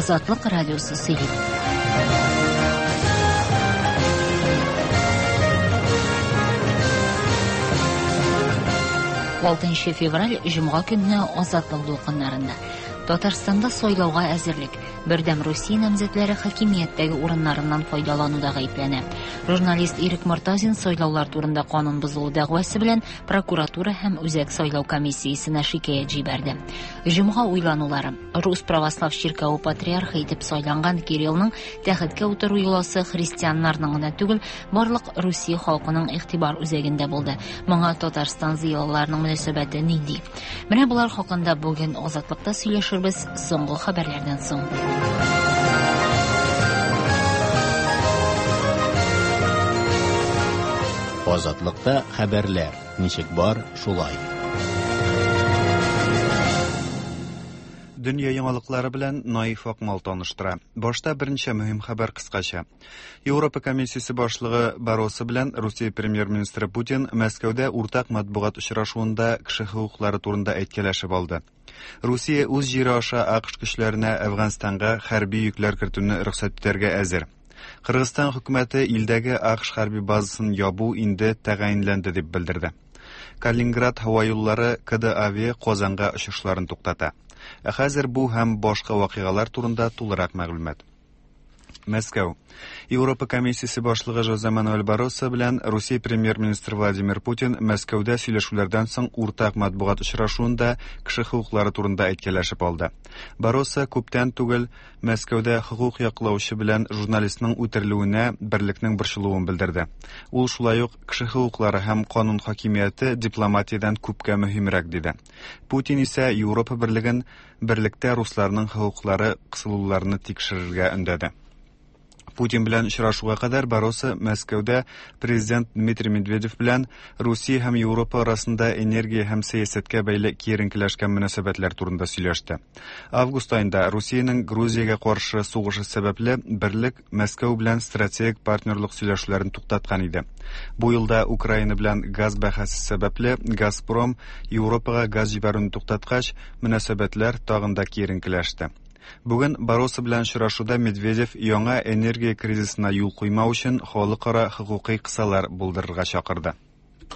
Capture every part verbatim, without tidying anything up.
Азатлык радиосы сөйли. алтынчы февраль җомга көнне Азатлык дулкыннарында. Татарстанда сайлауга әзерлек. Бердәм Русия намзәтләре хакимияттәге урыннарыннан файдалануда гаепләнә. Журналист Ирек Мортазин сайлаулар турында канун бозылу дәгъвасы белән прокуратура һәм Үзәк сайлау комиссиясенә шикаять җибәрде. Җомга уйланулары. Рус православ чиркәве патриархы итеп сайланган Кириллның тәхеткә утыру йоласы христианнарның гына түгел, барлык Русия халкының игътибар үзәгендә булды. Моңа Татарстан зыялыларының мөнәсәбәте нинди? Менә болар хакында бүген Азатлыкта сөйләшербез соңгы хәбәрләрдән соң. Азатлыкта хәбәрләр ничек бар, шулай. Дөнья яңалыклары белән Наиф Акмал таныштыра. Башта берничә мөһим хәбәр кыскача. Европа комиссиясе башлыгы Барроса белән Русия премьер-министры Путин Мәскәүдә уртак матбугат очрашуында кеше хокуклары турында әйткәләшеп алды. Русия үз җире аша АКШ көчләренә Әфганстанга хәрби йөкләр кертүне рөхсәт итәргә әзер. Кыргызстан хөкүмәте илдәге АКШ хәрби базасын ябу инде тәгаенләнде дип белдерде. Калининград һава юллары КД Авиа Казанга очышларын туктата. Ә хәзер бу һәм башка вакыйгалар турында тулырак мәгълүмат. Мәскәү. Европа комиссиясе башлыгы Жозе Мануэль Барроса белән Русия премьер-министры Владимир Путин Мәскәүдә сөйләшүләрдән соң уртак матбугат очрашуында кеше хокуклары турында әйткәләшеп алды. Барроса күптән түгел Мәскәүдә хокук яклаучы белән журналистның үтерелүенә берлекнең борчылуын белдерде. Ул шулай ук кеше хокуклары һәм канун хакимияте дипломатиядән күпкә мөһимрәк диде. Путин исә Европа берлеген берлектә русларның хокуклары кысылуларны тикшерергә өндәде. Путин белән очрашуга кадәр Барроса Мәскәүдә президент Дмитрий Медведев белән Русия һәм Европа арасында энергия һәм сәясәткә бәйле киеренкеләшкән мөнәсәбәтләр турында сөйләште. Август аенда Русиянең Грузиягә каршы сугышы сәбәпле берлек Мәскәү белән стратегик партнерлык сөйләшүләрен туктаткан иде. Бу елда Украина белән газ бәхәсе сәбәпле Газпром Европага газ җибәрүне туктаткач, мөнәсәбәтләр тагын да киеренкеләште. Бүген Барроса белән очрашуда Медведев яңа энергия кризисына юл куймау өчен халыкара хокукый кысалар булдырырга чакырды.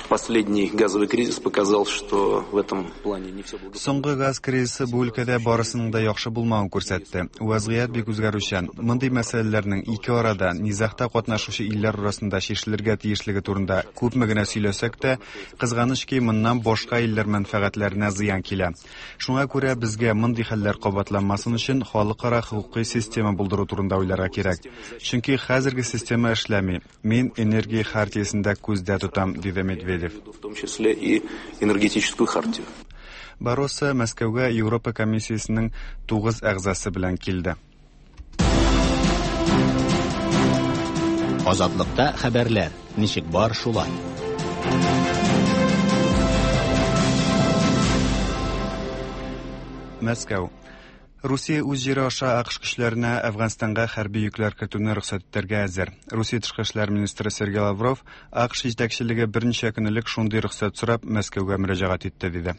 Последний газовый кризис показал, что в этом плане не все благополучно. Соңгы газ кризисы бу өлкәдә барысының да яхшы булмавын күрсәтте. Вазгыять бик үзгәрүчән. Мондый мәсьәләләрнең ике арада низагта катнашучы илләр арасында чишелергә тиешлеге турында күпме генә сөйләсәк тә, кызганыч ки, моннан башка илләр мәнфәгатьләренә зыян килә. Шуңа күрә безгә мондый хәлләр кабатланмасын өчен халыкара хокукый система булдыру турында уйларга кирәк. Чөнки хәзерге система эшләми. Мин энергия хартиясен дә күздә тотам, диде Медведев. В том числе и энергетическую хартию. Барроса Мәскәүгә Европа комиссиясенең тугыз әгъзасы белән килде. Азатлыкта хәбәрләр ничек бар, шулай. Мәскәү. Русия үз җире аша АКШ көчләренә Әфганстанга хәрби йөкләр кертүне рөхсәт итәргә әзер. Русия тышкы эшләр министры Сергей Лавров АКШ җитәкчелеге берничә көн элек шундый рөхсәт сорап Мәскәүгә мөрәҗәгать итте диде.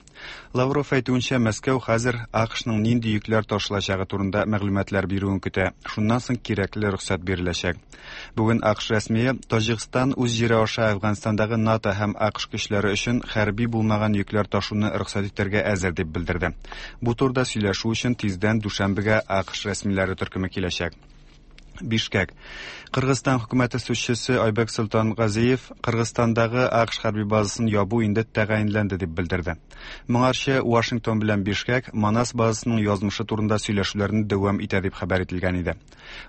Лавров әйтүенчә, Мәскәү хәзер АКШның нинди йөкләр ташылачагы турында мәгълүматлар бирүен көтә. Шуннан соң кирәкле рөхсәт биреләчәк. Бүген АКШ рәсмие Таҗикстан үз җире аша Әфганстандагы НАТО һәм АКШ көчләре өчен хәрби булмаган йөкләр ташуны рөхсәт итәргә әзер дип белдерде. Бу турыда сөйләшү өчен тиздән Дүшәнбегә АКШ рәсмиләре төркеме киләчәк. Бишкек. Кыргызстан хөкүмәте сүзчесе Айбек Султангазиев Кыргызстандагы АКШ хәрби базасын ябу инде тәгаенләнде дип белдерде. Моңарчы Вашингтон белән Бишкек Манас базасының язмышы турында сөйләшүләрне дәвам итә дип хәбәр ителгән иде.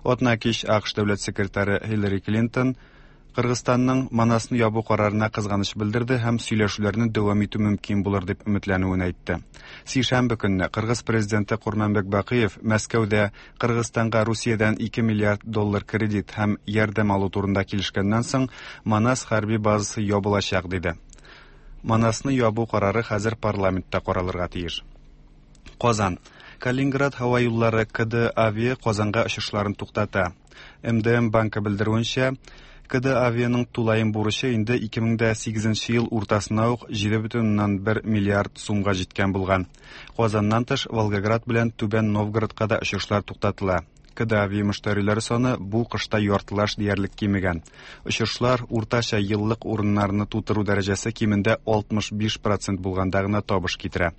Атна кич АКШ дәүләт секретаре Хиллари Клинтон Кыргызстанның Манасны ябу карарына кызганыч белдерде һәм сөйләшүләрне дәвам итү мөмкин булыр дип өметләнүен әйтте. Сишәмбе көнне Кыргыз президенты Курманбек Бакиев Мәскәүдә Кыргызстанга Русиядән ике миллиард доллар кредит һәм ярдәм алу турында килешкәннән соң Манас хәрби базасы ябылачак диде. Манасны ябу карары хәзер парламентта каралырга тиеш. Казан. Калининград һава юллары КД Авиа Казанга очышларын туктата. М Д М банкы белдерүенчә, КД Авианың тулаем бурычы инде ике мең дә сигезенче ел уртасына ук җиде бөтен уннан бер миллиард сумга җиткән булган. Казаннан тыш Волгоград белән Түбән Новгородка да очышлар туктатыла. КД-Авиа мөштәриләре саны бу кышта яртылаш диярлек кимегән. Очышлар уртача еллык урыннарны тутыру дәрәҗәсе кимендә алтмыш биш процент булганда гына табыш китерә.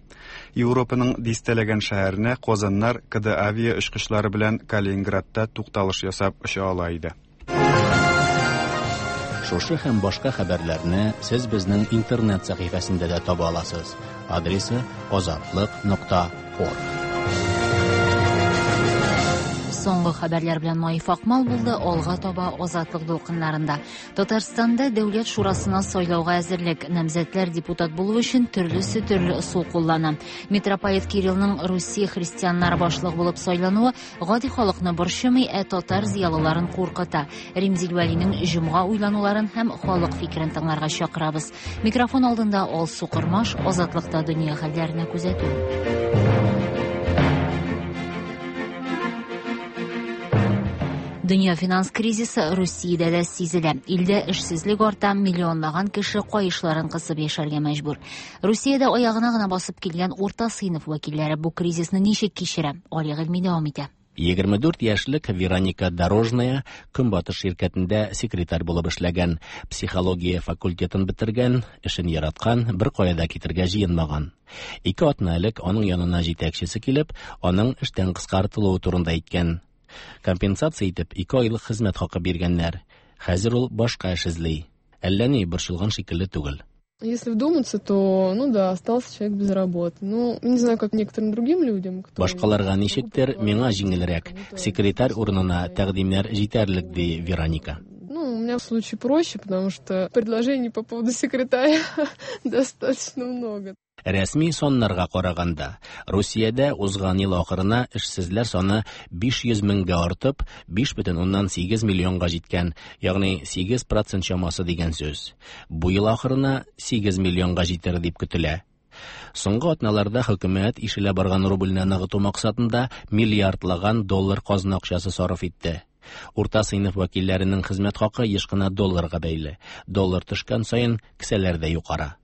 Европаның дистәләгән шәһәренә Казаннар КД-Авиа очкычлары белән Калининградта тукталыш ясап оча ала иде. Шушы һәм башка хәбәрләрне сез безнең интернет сәхифәсендә дә таба аласыз. Адресы азатлык нокта орг. Соңгы хәбәрләр белән Наиф Акмал булды. Алга таба Азатлык дулкыннарында. Татарстанда Дәүләт шурасына сайлауга әзерлек. Намзәтләр депутат булу өчен төрлесе төрле ысул куллана. Митрополит Кириллның Русия христианнары башлыгы булып сайлануы гади халыкны борчымый, ә татар зыялыларын куркыта. Римзил Вәлинең җомга уйлануларын һәм халык фикерен тыңларга чакырабыз. Микрофон алдында Алсу Кормаш, Азатлыкта дөнья хәлләренә күзәтү. Дөнья финанс кризисы Русиядә дә сизелә. Илдә эшсезлек арта, миллионлаган кеше каешларын кысып яшәргә мәҗбүр. Русиядә аягына гына басып килгән урта сыйныф вәкилләре бу кризисны ничек кичерә? Али Гыйльми дәвам итә. Егерме дүрт яшьлек Вероника Дорожная Көнбатыш ширкәтендә секретарь булып эшләгән, психология факультетын бетергән, эшен яраткан, бер кая да китергә җыенмаган. Ике атна элек аның янына җитәкчесе килеп, аның эштән кыскартылуы турында әйткән. Компенсация итеп ике айлык хезмәт хакы биргәннәр. Хәзер ул башка эш эзли. Әллә ни борчылган шикелле түгел. Если вдуматься, то, ну да, остался человек без работы. Ну, не знаю, как некоторым другим людям, кто Башкаларга ничектер, миңа җиңелрәк. Секретарь урынына тәкъдимнәр җитәрлек, ди Вероника. Ну, у меня в случае проще, потому что предложений по поводу секретаря достаточно много. Рәсми саннарга караганда, Русиядә узган ел ахырына эшсезләр саны биш йөз меңгә артып, биш бөтен уннан сигез миллионга җиткән, ягъни сигез процент чамасы дигән сүз. Бу ел ахырына сигез миллионга җитер дип көтелә. Соңгы атналарда хөкүмәт ишелә барган рубльне ныгыту максатында миллиардлаган доллар казна акчасы сарыф итте. Урта сыйныф вәкилләренең хезмәт хакы еш кына долларга бәйле. Доллар төшкән саен кесәләр дә югара.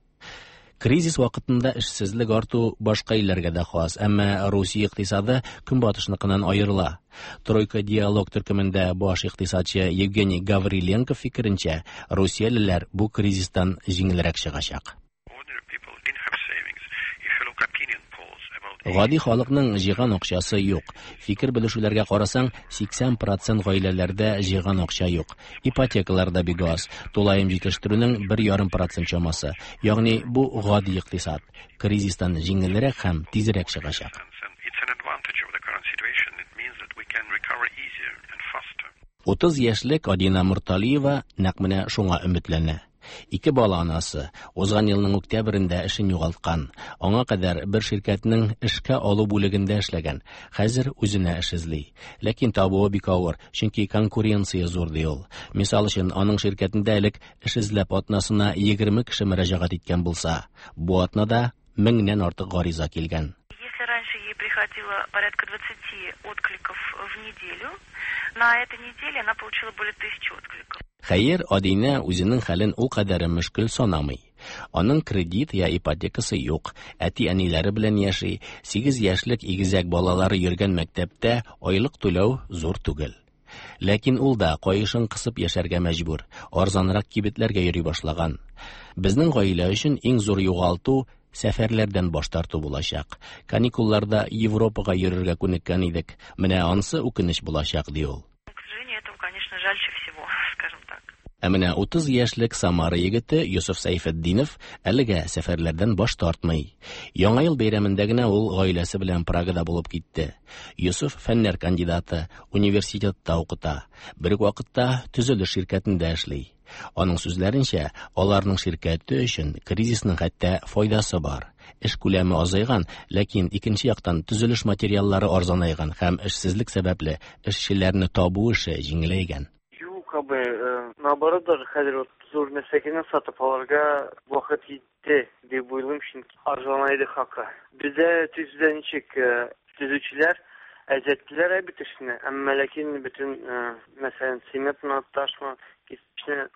Кризис вакытында эшсезлек арту башка илләргә дә хас, әмма Русия икътисады көнбатышныкыннан аерыла. Тройка диалог төркемендә баш икътисадчы Евгений Гавриленко фикеренчә, русиялеләр бу кризистан җиңелрәк чыгачак. Гади халыкның җыйган акчасы юк. Фикер белешүләргә карасаң, сиксән процент гаиләләрдә җыйган акча юк. Ипотекалар да бик аз. Тулаем җитештерүнең бер ярым процент чамасы. Ягъни бу гади икътисад. Кризистан җиңелрәк һәм тизрәк чыгачак. Утыз яшьлек Адина Мурталиева нәкъ менә шуңа өметләнә. Ике бала анасы узган елның октябрендә эшен югалткан. Аңа кадәр бер ширкәтнең эшкә алу бүлегендә эшләгән. Хәзер үзенә эш эзли. Ләкин табуы бик авыр, чөнки конкуренция зур ди ул. Мисал өчен, аның ширкәтендә элек эш эзләп атнасына егерме кеше мөрәҗәгать иткән булса, бу атнада меңнән артык гариза килгән. Если раньше ей приходило порядка двадцати откликов в неделю, на этой неделе она получила более тысячи откликов. Хәер, Адина үзенең хәлен ул кадәр мөшкел санамый. Аның кредит я ипотекасы юк, әти-әниләре белән яши, сигез яшьлек игезәк балалары йөргән мәктәптә айлык түләү зур түгел. Ләкин ул да каешын кысып яшәргә мәҗбүр, арзанрак кибетләргә йөри башлаган. Безнең гаилә өчен иң зур югалту сәфәрләрдән баш тарту булачак. Каникулларда Европага йөрергә күнеккән идек. Менә ансы үкенеч булачак, ди ул. К сожалению, этого, конечно, жальче всего, скажем так. Ә менә утыз яшьлек Самара егете Йосыф Сәйфетдинов әлегә сәфәрләрдән баш тартмый. Яңа ел бәйрәмендә генә ул гаиләсе белән Прагада булып китте. Йосыф фәннәр кандидаты, университетта укыта, бер үк вакытта төзелеш ширкәтендә эшли. Аның сүзләренчә, аларның ширкәте өчен кризисның хәтта файдасы бар. Эш күләме азайган, ләкин икенче яктан төзелеш материаллары арзанайган һәм эшсезлек сәбәпле эшчеләрне табу эше җиңеләйгән. Юк, абый, наоборот, даже хәзер вот зур нәрсәгене сатып алырга вакыт җитте дип уйлыйм, чөнки арзанайды хакы. Бездә төзүдә ничек, төзүчеләр әзәттеләр бит эшне, әмма ләкин бөтен, мәсәлән, цементны, ташны, кирпичне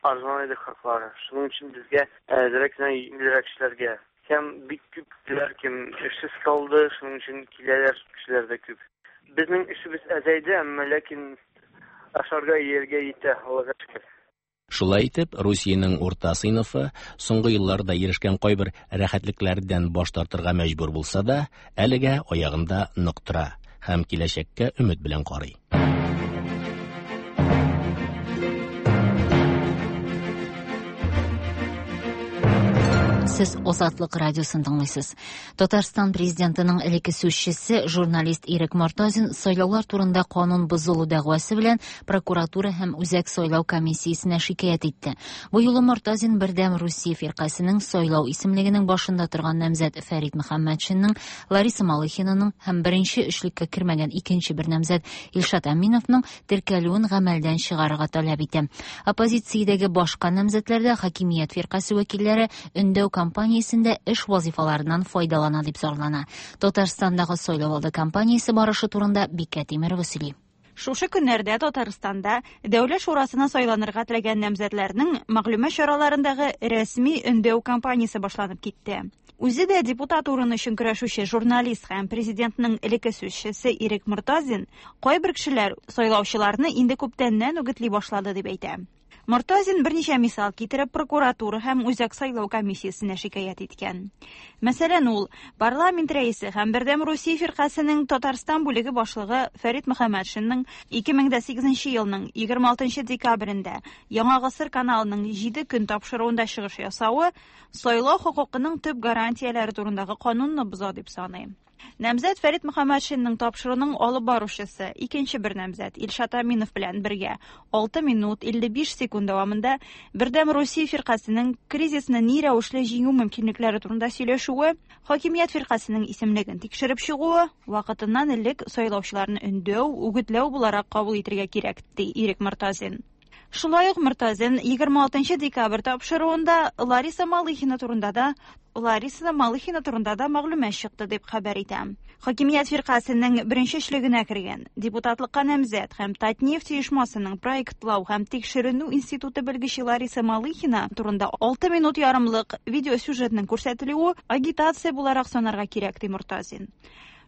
арзанайды хаклары. Шуның өчен безгә әзрәк кенә җиңелрәк эшләргә. Һәм бик күп кешеләр кем эшсез калды, шуның өчен киләләр кешеләр дә күп. Безнең эшебез әзәйде, әмма ләкин ашарга ияргә итә, Аллага шөкер. Шулай итеп, Русиянең урта сыйныфы соңгы елларда ирешкән кайбер рәхәтлекләрдән баш тартырга мәҗбүр булса да, әлегә аягында нык тора һәм киләчәккә өмет белән карый. Сез Азатлык радиосын тыңлыйсыз. Татарстан президентының элекке сүзчесе, журналист Ирек Мортазин сайлаулар турында канун бозылу дәгъвасы белән прокуратура һәм Үзәк сайлау комиссиясенә шикаять итте. Бу юлы Мортазин Бердәм Русия фиркасының сайлау исемлегенең башында торган намзәт Фәрит Мөхәммәтшинның, Лариса Малыхинаның һәм беренче өчлеккә кермәгән икенче бер намзәт Илшат Аминовның теркәлүен гамәлдән чыгарырга таләп итә. Оппозициядәге башка намзәтләрдә хакимият фиркасе вәкилләре өндәү кампаниясендә эш вазифаларыннан файдалана дип зарлана. Татарстандагы сайлау алды кампаниясе барышы турында Бикә Тимирова сөйли. Шушы көннәрдә Татарстанда Дәүләт шурасына сайланырга теләгән намзәтләрнең мәгълүмат чараларындагы рәсми өндәү кампаниясе башланып китте. Үзе дә депутат урыны өчен көрәшүче журналист һәм президентның элекке сүзчесе Ирек Мортазин кайбер кешеләр сайлаучыларны инде күптәннән үгетли башлады дип әйтә. Мортазин берничә мисал китереп прокуратура һәм Үзәк сайлау комиссиясенә шикаять иткән. Мәсәлән, ул парламент рәисе һәм Бердәм Русия фиркасының Татарстан бүлеге башлыгы Фәрит Мөхәммәтшинның ике мең дә сигезенче елның егерме алтынчы декабрендә Яңа Гасыр каналының җиде көн тапшыруында чыгыш ясавы сайлау хокукының төп гарантияләре турындагы канунны боза дип саный. Намзәт Фәрит Мөхәммәтшинның тапшыруның алып баручысы икенче бер намзәт Илшат Аминов белән бергә алты минут илле биш секунд дәвамында Бердәм Русия фиркасының кризисны ни рәвешле җиңү мөмкинлекләре турында сөйләшүе, хакимият фиркасының исемлеген тикшереп чыгуы, вакытыннан элек сайлаучыларны өндәү, үгетләү буларак кабул итәргә кирәк, ди Ирек Мортазин. Шулай ук Мортазин егерме алтынчы декабрь тапшыруында Лариса Малыхина турында да Лариса Малыхина турында да мәгълүмат чыкты дип хәбәр итә. Хакимият фиркасының беренче өчлегенә кергән депутатлыкка намзәт һәм Татнефть оешмасының проектлау һәм тикшеренү институты белгече Лариса Малыхина турында алты минут ярымлык видеосюжетның күрсәтелүе агитация буларак санарга кирәк, ди Мортазин.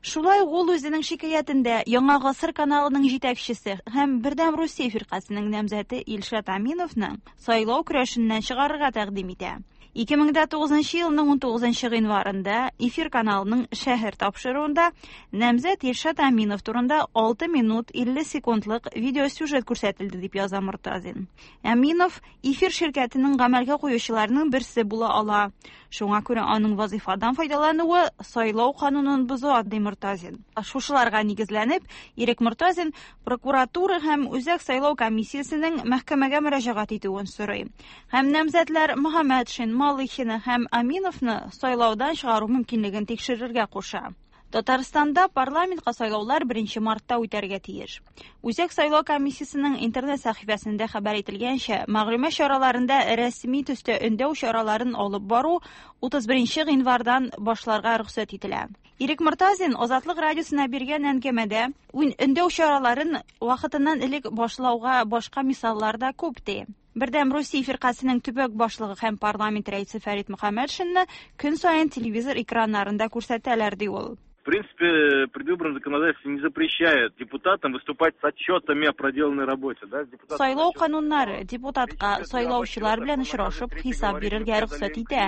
Шулай ук ул үзенең шикаятендә Яңа Гасыр каналының җитәкчесе һәм Бердәм Русия фиркасының намзәте Илшат Аминовны сайлау көрәшеннән чыгарырга тәкъдим итә. ике мең дә тугызынчы елның унтугызынчы гыйнварында Эфир каналының шәһәр тапшыруында намзәт Илшат Аминов турында алты минут илле секундлык видеосюжет күрсәтелде дип яза Мортазин. Аминов Эфир ширкәтенең гамәлгә куючыларының берсе була ала. Шуңа күрә аның вазифадан файдалануы сайлау канунын боза, ди Мортазин. Шушыларга нигезләнеп, Ирек Мортазин прокуратура һәм Үзәк сайлау комиссиясенең мәхкәмәгә мөрәҗәгать итүен сорый. Һәм намзәтләр Мөхәммәтшин, Малыхина һәм Аминовны сайлаудан чыгару мөмкинлеген тикшерергә куша. Татарстанда парламентка сайлаулар беренче мартта үтәргә тиеш. Үзәк сайлау комиссиясенең интернет сәхифәсендә хәбәр ителгәнчә, мәгълүмат чараларында рәсми төстә өндәү чараларын алып бару утыз беренче гыйнвардан башларга рөхсәт ителә. Ирек Мортазин Азатлык радиосына биргән әңгәмәдә өндәү чараларын вакытыннан элек башлауга башка мисаллар да күп ди. Бердәм Русия фиркасының төбәк башлыгы һәм парламент рәисе Фәрит Мөхәммәтшинны көн саен телевизор экраннарында күрсәтәләр, ди ул. В принципе, предвыборное законодательство не запрещает депутатам выступать с отчетами о проделанной работе. Да? Сайлау кануннары депутатка сайлаучылар белән очрашып хисап бирергә рөхсәт итә.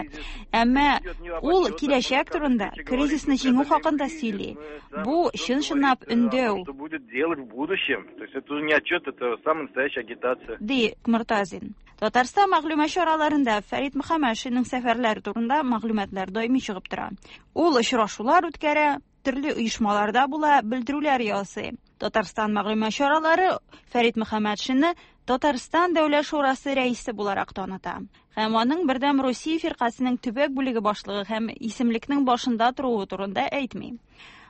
Әмма ул киләчәк турында, кризисны җиңү хакында сөйли. Бу чын-чынлап өндәү. Что будет делать в будущем? То есть это не отчет, это самая настоящая агитация. Ди Мортазин. Татарстан мәгълүмат чараларында Фәрит Мөхәммәтшинның сәфәрләре турында мәгълүматлар даими чыгып тора. Ул очрашулар үткәрә, төрле оешмаларда була, белдерүләр ясый. Татарстан мәгълүмат чаралары Фәрит Мөхәммәтшинны Татарстан Дәүләт шурасы рәисе буларак таныта. Һәм аның Бердәм Русия фиркасының төбәк бүлеге башлыгы һәм исемлекнең башында торуы турында әйтми.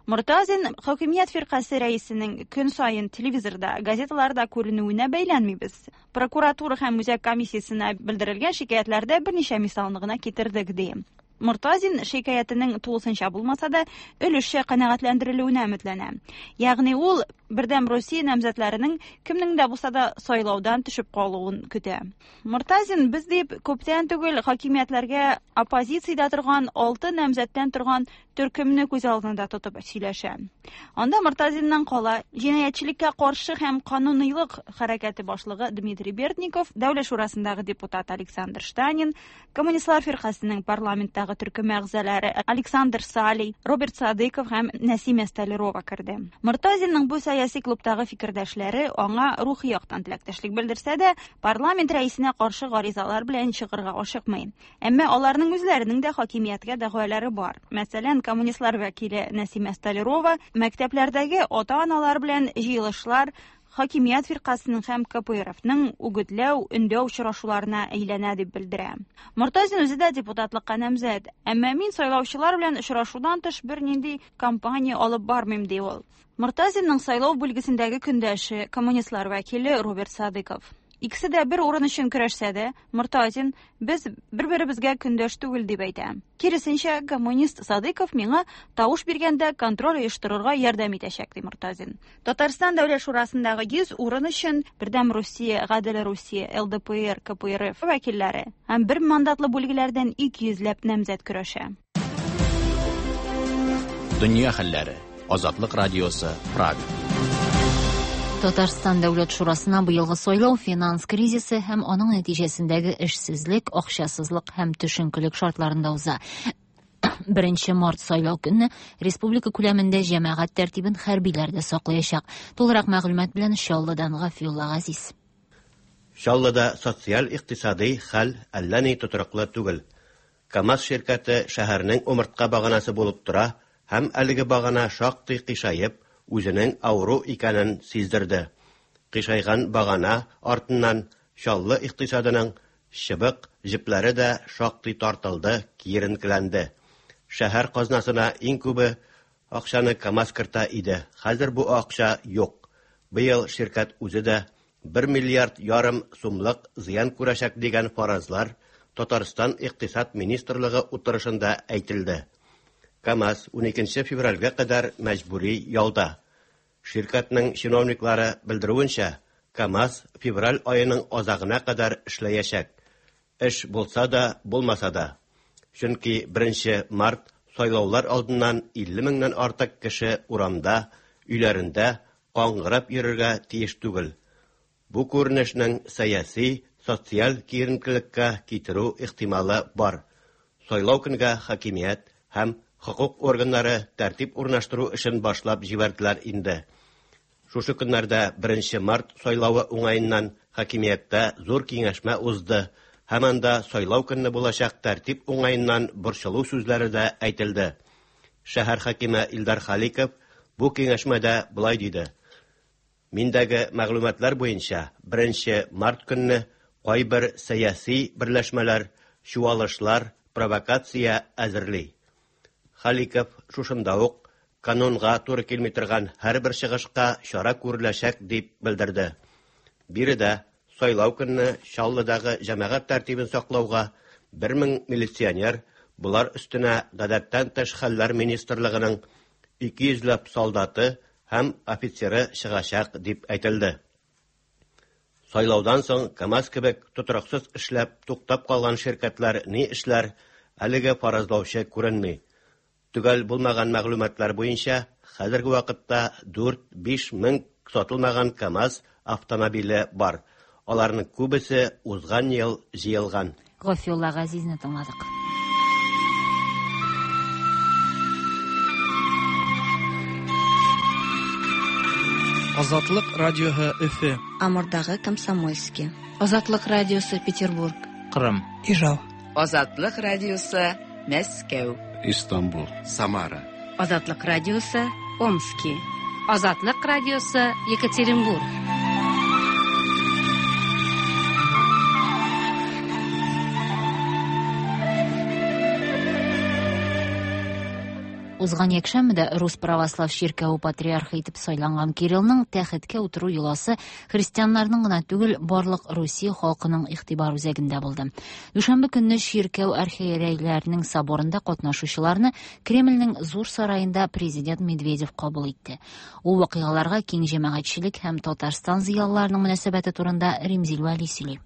Мортазин хакимият фиркасе рәисенең көн саен телевизорда, газеталарда күренүенә бәйләнмибез. Прокуратура һәм үзәк комиссиясенә белдерелгән шикаятьләрдә берничә мисалны гына китердек, ди. Мортазин шикаятенең тулысынча булмаса да, өлешчә канәгатьләндерелүенә өметләнә. Ягъни ул Бердәм Русия намзәтләренең кемнең дә булса да сайлаудан төшеп калуын көтә. Мортазин без дип күптән түгел хакимиятләргә оппозициядә торган алты намзәттән торган төркемне күз алдында тотып сөйләшә. Анда Мортазиннан кала җинаятьчелеккә каршы һәм кануныйлык хәрәкәте башлыгы Дмитрий Бердников, Дәүләт шурасындагы депутат Александр Штанин, Коммунистлар фиркасының парламенттагы төркем әгъзалары Александр Салий, Роберт Садыков һәм Нәсимә Столярова керде. Мортазинның бу сәяси клубтагы фикердәшләре аңа рухи яктан теләктәшлек белдерсә дә, парламент рәисенә каршы гаризалар белән чыгырга ашыкмый. Әмма аларның үзләренең дә хакимияткә дәгъвалары бар. Мәсәлән, коммунистлар вәкиле Нәсимә Столярова мәктәпләрдәге ата-аналар белән җыелышлар хакимият фиркасының һәм К П Р Фның үгетләү, өндәү очрашуларына әйләнә дип белдерә. Мортазин үзе дә депутатлыкка намзәт, әмма мин сайлаучылар белән очрашудан тыш бернинди кампания алып бармыйм, ди ул. Мортазинның сайлау бүлгесендәге көндәше коммунистлар вәкиле Роберт Садыков. Икесе дә бер урын өчен көрәшсә дә, Мортазин без бер-беребезгә көндәш түгел дип әйтә. Киресенчә, коммунист Садыков миңа тавыш биргәндә контроль оештырырга ярдәм итәчәк, ди Мортазин. Татарстан Дәүләт шурасындагы йөз урын өчен Бердәм Русия, Гадел Русия, Л Д П Р, К П Р Ф вәкилләре һәм бер мандатлы бүлгеләрдән ике йөзләп намзәт көрәшә. Дөнья хәлләре. Азатлык радиосы, Прага. Татарстан Дәүләт шурасына быелгы сайлау финанс кризисы һәм аның нәтиҗәсендәге эшсезлек, акчасызлык һәм төшенкелек шартларында уза. Беренче март сайлау көнне республика күләмендә җәмәгать тәртибен хәрбиләр дә саклаячак. Тулырак мәгълүмат белән Чаллыдан Гафиулла Газиз. Чаллыда социаль-икътисади хәл әллә ни тотрыклы түгел. КАМАЗ ширкәте шәһәрнең умыртка баганасы булып тора һәм әлеге багана шактый кыйшаеп, үзенең авыру икәнен сиздерде. Кыйшайган багана артыннан Чаллы икътисадының чыбык җепләре дә шактый тартылды, киеренкеләнде. Шәһәр казнасына иң күбе акчаны КАМАЗ кертә иде. Хәзер бу акча юк. Быел ширкәт үзе дә бер миллиард ярым сумлык зыян күрәчәк дигән фаразлар Татарстан Икътисад министрлыгы утырышында әйтелде. КАМАЗ уникенче февральгә кадәр мәҗбүри ялда. Ширкәтнең чиновниклары белдерүенчә, КАМАЗ февраль аеның азагына кадәр эшләячәк. Эш булса да, булмаса да. Чөнки беренче март сайлаулар алдыннан илле меңнән артык кеше урамда, өйләрендә каңгырап йөрергә тиеш түгел. Бу күренешнең сәяси, социаль киеренкелеккә китерү ихтималы бар. Сайлау көнгә хакимият һәм хукук органнары тәртип урнаштыру эшен башлап җибәрделәр инде. Шушы көннәрдә беренче март сайлавы уңаеннан хакимияттә зур киңәшмә узды һәм анда сайлау көнне булачак тәртип уңаеннан борчылу сүзләре дә әйтелде. Шәһәр хакиме Илдар Халиков бу киңәшмәдә болай диде: Миндәге мәгълүматлар буенча беренче март көнне кайбер сәяси берләшмәләр, чуалышлар, провокация әзерли. Халиков шушында ук канунга туры килми торган һәрбер чыгышка чара күреләчәк дип белдерде. Биредә сайлау көнне Чаллыдагы җәмәгать тәртибен саклауга бер мең милиционер, булар өстенә гадәттән тыш хәлләр министрлыгының ике йөзләп солдаты һәм офицеры чыгачак дип әйтелде. Сайлаудан соң КАМАЗ кебек тотрыксыз эшләп туктап калган ширкәтләр ни эшләр, әлегә фаразлаучы күренми. Төгәл булмаган мәгълүматлар буенча, хәзерге вакытта дүрт-биш мең сатылмаган КАМАЗ автомобиле бар. Аларның күбесе узган ел җыелган. Гафиулла Газизне тыңладык. Азатлык радиоһы Өфе. Амурдагы Комсомольский. Азатлык радиосы Петербург. Кырым. Ижау. Азатлык радиосы Мәскәү. Истанбул. Самара. Азатлык радиосы Омски. Азатлык радиосы Екатеринбург. Узган якшәмбедә Рус православ чиркәве патриархы итеп сайланган Кириллның тәхеткә утыру йоласы христианнарның гына түгел, барлык Русия халкының игътибар үзәгендә булды. Дүшәмбе көнне чиркәү архиерейләренең соборында катнашучыларны Кремльнең зур сараенда президент Медведев кабул итте. Ул вакыйгаларга киң җәмәгатьчелек һәм Татарстан зыялыларының мөнәсәбәте турында Римзил Вәли сөйли.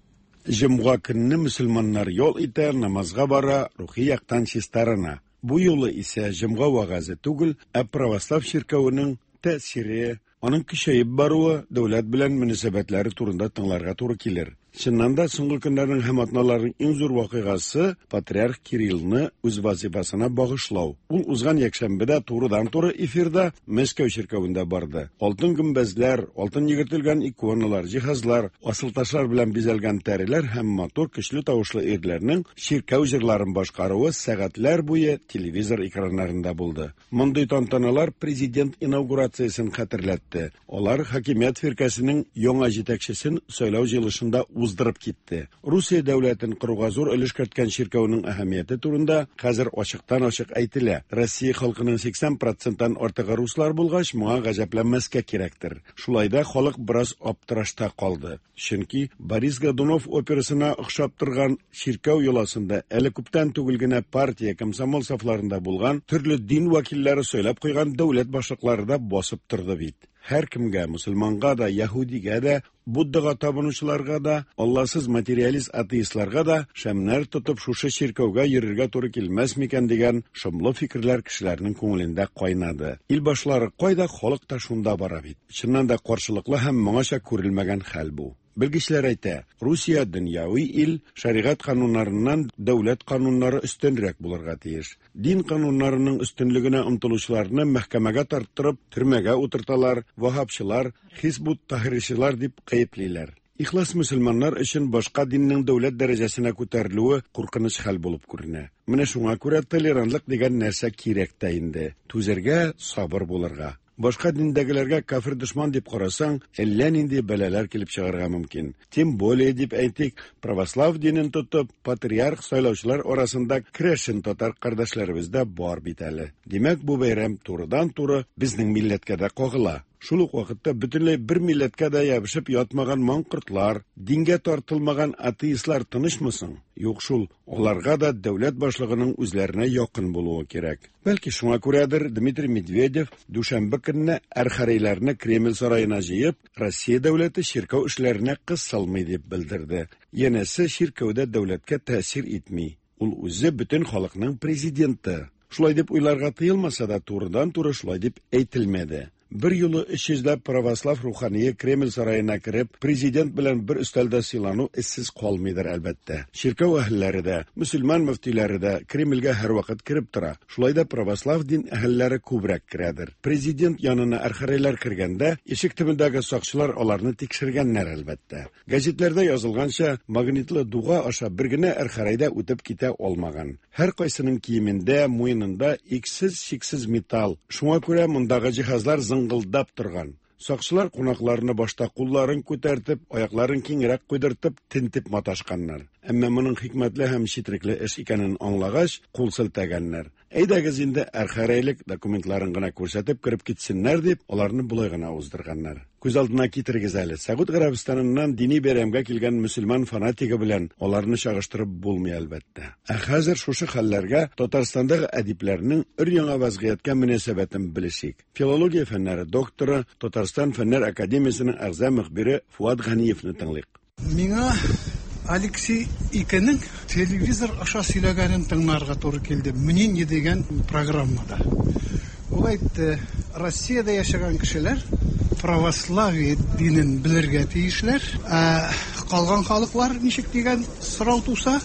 Җомга көнне мөселманнар ял итә, намазга бара, рухи яктан чистарына. Бу юлы исә җомга вәгазе түгел, ә православ чиркәвенең тәэсире, аның көчәеп баруы, дәүләт белән мөнәсәбәтләре турында тыңларга туры килер. Чыннан да соңгы көннәрнең һәм атналарның иң зур вакыйгасы патриарх Кириллны үз вазифасына багышлау. Ул узган якшәмбедә турыдан-туры эфирда Мәскәү чиркәвендә барды. Алтын гөмбәзләр, алтын йөгертелгән иконалар, җиһазлар, асылташлар белән бизәлгән тәреләр һәм матур көчле тавышлы ирләрнең чиркәү җырларын башкаруы сәгатьләр буе телевизор экраннарында булды. Мондый тантаналар президент инаугурациясен хәтерләтте. Алар хакимият фиркәсенең яңа җитәкчесен сайлау җыелышында уздырып китте. Русия дәүләтен коруга зур өлеш керткән чиркәүнең әһәмияте турында хәзер ачыктан-ачык әйтелә. Россия халкының сиксән проценттан артыгы руслар булгач, моңа гаҗәпләнмәскә кирәктер. Шулай да халык бераз аптырашта калды. Чөнки Борис Годунов операсына охшап торган чиркәү йоласында әле күптән түгел генә партия, комсомол сафларында булган төрле дин вәкилләре сөйләп куйган дәүләт башлыклары да басып торды бит. Һәр кемгә, мөселманга да, яһүдигә дә, Буддага табынучыларга да, Алласыз материалист атеистларга да шәмнәр тотып шушы чиркәүгә йөрергә туры килмәс микән дигән шомлы фикерләр кешеләрнең күңелендә кайнады. Ил башлары кайда, халык та шунда бара бит. Чыннан да каршылыклы һәм моңача күрелмәгән хәл бу. Белгечләр әйтә, Русия дөньяви ил, шәригать кануннарыннан дәүләт кануннары өстенрәк булырга тиеш. Дин кануннарының өстенлегенә омтылучыларны мәхкәмәгә тарттырып, төрмәгә утырталар, ваһабчылар, хизбут тахрирчылар дип гаеплиләр. Ихлас мөселманнар өчен башка диннең дәүләт дәрәҗәсенә күтәрелүе куркыныч хәл булып күренә. Менә шуңа күрә толерантлык дигән нәрсә кирәк тә инде. Түзәргә, сабыр булырга. Башка диндәгеләргә кафир дошман дип карасаң, әллә нинди бәлаләр килеп чыгарга мөмкин. Тем более дип әйтик, православ динен тотып, патриарх сайлаучылар арасында керәшен татар кардәшләребез дә бар бит әле. Димәк, бу бәйрәм турыдан-туры безнең милләткә дә кагыла. Шул ук вакытта бөтенләй бер милләткә дә ябышып ятмаган маңкортлар, дингә тартылмаган атеистлар тынычмы соң? Юк шул, аларга да дәүләт башлыгының үзләренә якын булуы кирәк. Бәлки шуңа күрәдер Дмитрий Медведев дүшәмбе көнне архиерейләрне Кремль сараена җыеп, Россия дәүләте чиркәү эшләренә кысылмый дип белдерде. Янәсе чиркәүдә дәүләткә тәэсир итми. Ул үзе бөтен халыкның президенты. Шулай дип уйларга тыелмаса да, турыдан-туры шулай дип әйтелмәде. Бер юлы өч йөзләп православ рухание Кремль сараена кереп, президент белән бер өстәлдә сыйлану эзсез калмыйдыр әлбәттә. Чиркәү әһелләре дә, мөселман мөфтиләре дә Кремльгә һәрвакыт кереп тора. Шулай да православ дин әһелләре күбрәк керәдер. Президент янына архиерейлар кергәндә, ишек төбендәге сакчылар аларны тикшергәннәр әлбәттә. Гәзитләрдә язылганча, магнитлы дуга аша бер генә архиерей дә үтеп китә алмаган. Һәр кайсының киемендә, муенында иксез-чиксез металл. Шуңа күрә мондагы җиһазлар зыңгылдап торган. Сакчылар кунакларны башта кулларын күтәртеп, аякларын киңрәк куйдыртып, тентеп маташканнар. Әмма моның хикмәтле һәм четерекле эш икәнен аңлагач, кул селтәгәннәр. Әйдәгез инде архиерейлек документларын гына күрсәтеп кереп китсеннәр дип, аларны болай гына уздырганнар. Күз алдына китерегез әле, Сәгуд Гарәбстаныннан дини бәйрәмгә килгән мөселман фанатигы белән аларны чагыштырып булмый әлбәттә. Ә хәзер шушы хәлләргә Татарстандагы әдипләрнең өр-яңа вазгыятькә мөнәсәбәтен белешик. Филология фәннәре докторы, Татарстан Фәннәр академиясенең әгъза мөхбире Фуат Ганиевны тыңлыйк. Миңа Алексей Икенең телевизор аша сөйләгәнен тыңларга туры килде. Мнение дигән программада. Ул әйтте, Россиядә яшәгән кешеләр православие динен белергә тиешләр. Ә калган халыклар ничек дигән сорау туса,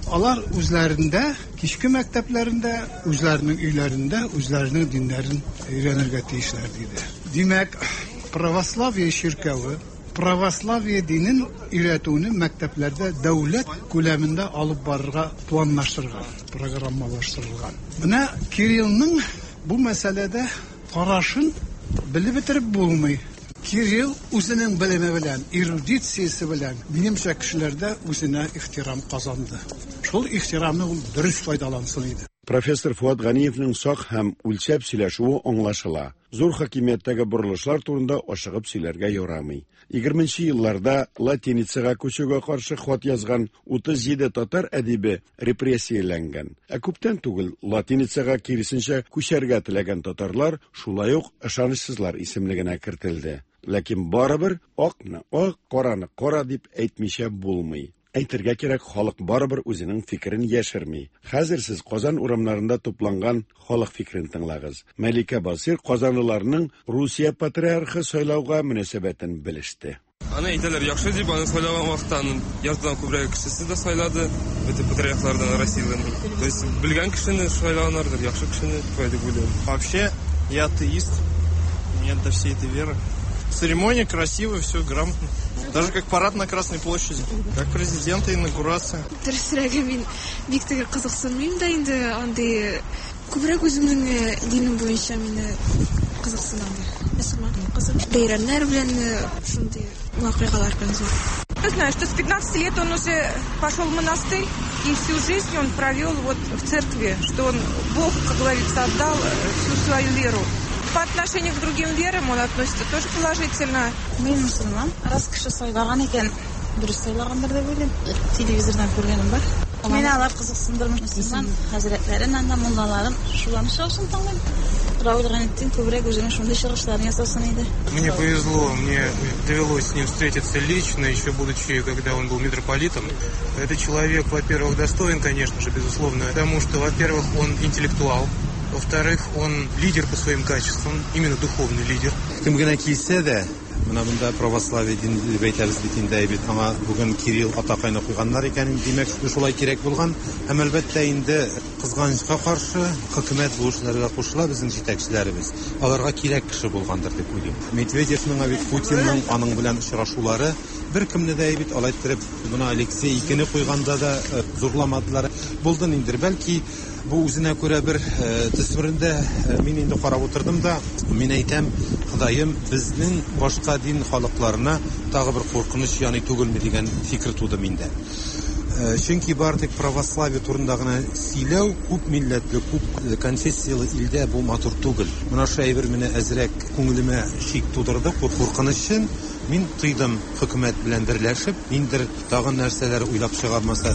алар үзләрендә, кичке мәктәпләрендә, үзләренең өйләрендә, үзләренең диннәрен өйрәнергә тиешләр диде. Димәк, православие чиркәве православие динен өйрәтүне мәктәпләрдә дәүләт күләмендә алып барырга планлаштырган, программалаштырылган. Менә Кириллның бу мәсьәләдә карашын белеп бетереп булмый. Кирилл үзенең белеме белән, эрудициясе белән минемчә кешеләрдә үзенә ихтирам казанды. Шул ихтирамны ул дөрес файдалансын иде. Профессор Фуат Ганиевның сак һәм үлчәп сөйләшүе аңлашыла. Зур хакимияттәге борылышлар турында ашыгып сөйләргә ярамый. Егерменче елларда латиницага күчүгә каршы хат язган утыз җиде татар әдибе репрессияләнгән. Ә күптән түгел латиницага киресенчә күчәргә теләгән татарлар шулай ук ышанычсызлар исемлегенә кертелде. Ләкин барыбер акны ак, караны кара дип әйтмичә булмый. Әйтергә кирәк, халык барыбер үзенең фикерен яшерми. Хәзер сез Казан урамнарында тупланган халык фикерен тыңлагыз. Мәликә Басир казанлыларның Русия патриархы сайлауга мөнәсәбәтен белеште. Аны әйтәләр яхшы дип, аны сайлаган вакытта аның яртыдан күбрәк кешесе дә сайлады, бөтен патриархлардан Россиядән. То есть белгән кешене сайлаганнардыр, яхшы кешене дип уйлыйм. Вообще, я атеист, нет до всей этой веры. Церемония красивая, все грамотно. Даже как парад на Красной площади, как президента инаугурация. Дөресрәге, мин бик тә кызыксынмыйм да инде, андый күбрәк үземнең динем буенча мине кызыксынам. Мөселман кызы. Бәйрәмнәр белән шундый вакыйгалар белән зур. Я знаю, что с пятнадцати лет он уже пошел в монастырь, и всю жизнь он провел вот в церкви, что он Богу, как говорится, отдал всю свою веру. По отношению к другим верам он относится тоже положительно. Мин мөселман, раз кеше сайлаган икән, дөрес сайлагандыр дип уйлыйм. Телевизордан күргәнем бар. Мине алар кызыксындырмый. Мөселман хәзрәтләрен, анда муллаларын шуларны чыгышын тыңлыйм. Равил Гайнетдин күбрәк үзенең шундый чыгышларын ясасын иде. Мне повезло, мне довелось с ним встретиться лично, еще будучи, когда он был митрополитом. Этот человек, во-первых, достоин, конечно же, безусловно, потому что, во-первых, он интеллектуал. Во-вторых, он лидер по своим качествам, именно духовный лидер. Кем генә килсә дә, менә монда православие дин дип әйтәбез бит инде, бит аңа бүген Кирилл атакайны куйганнар икән, димәк, шулай кирәк булган. Һәм әлбәттә инде кызганычка каршы хөкүмәт бу эшләргә кушыла, безнең җитәкчеләребез. Аларга кирәк кеше булгандыр дип уйлыйм. Медведевның, бит Путинның аның белән очрашулары беркемне дә бит алай иттереп, моны Алексей икене куйганда да зурламадылар. Булды инде, бәлки бу үзенә күрә бер төсмерендә мин инде карап утырдым да, мин әйтәм, Ходаем, безнең башка дин халыкларына тагы бер куркыныч яный түгелме дигән фикер туды миндә. Чөнки бар тик православие турында гына сөйләү күп милләтле, күп конфессияле илдә бу матур түгел. Менә шу әйбер мине әзрәк күңелемә шик тудырды, куркынычын мин тойдым. Хөкүмәт белән берләшеп, ниндер тагын нәрсәләр уйлап чыгармаса,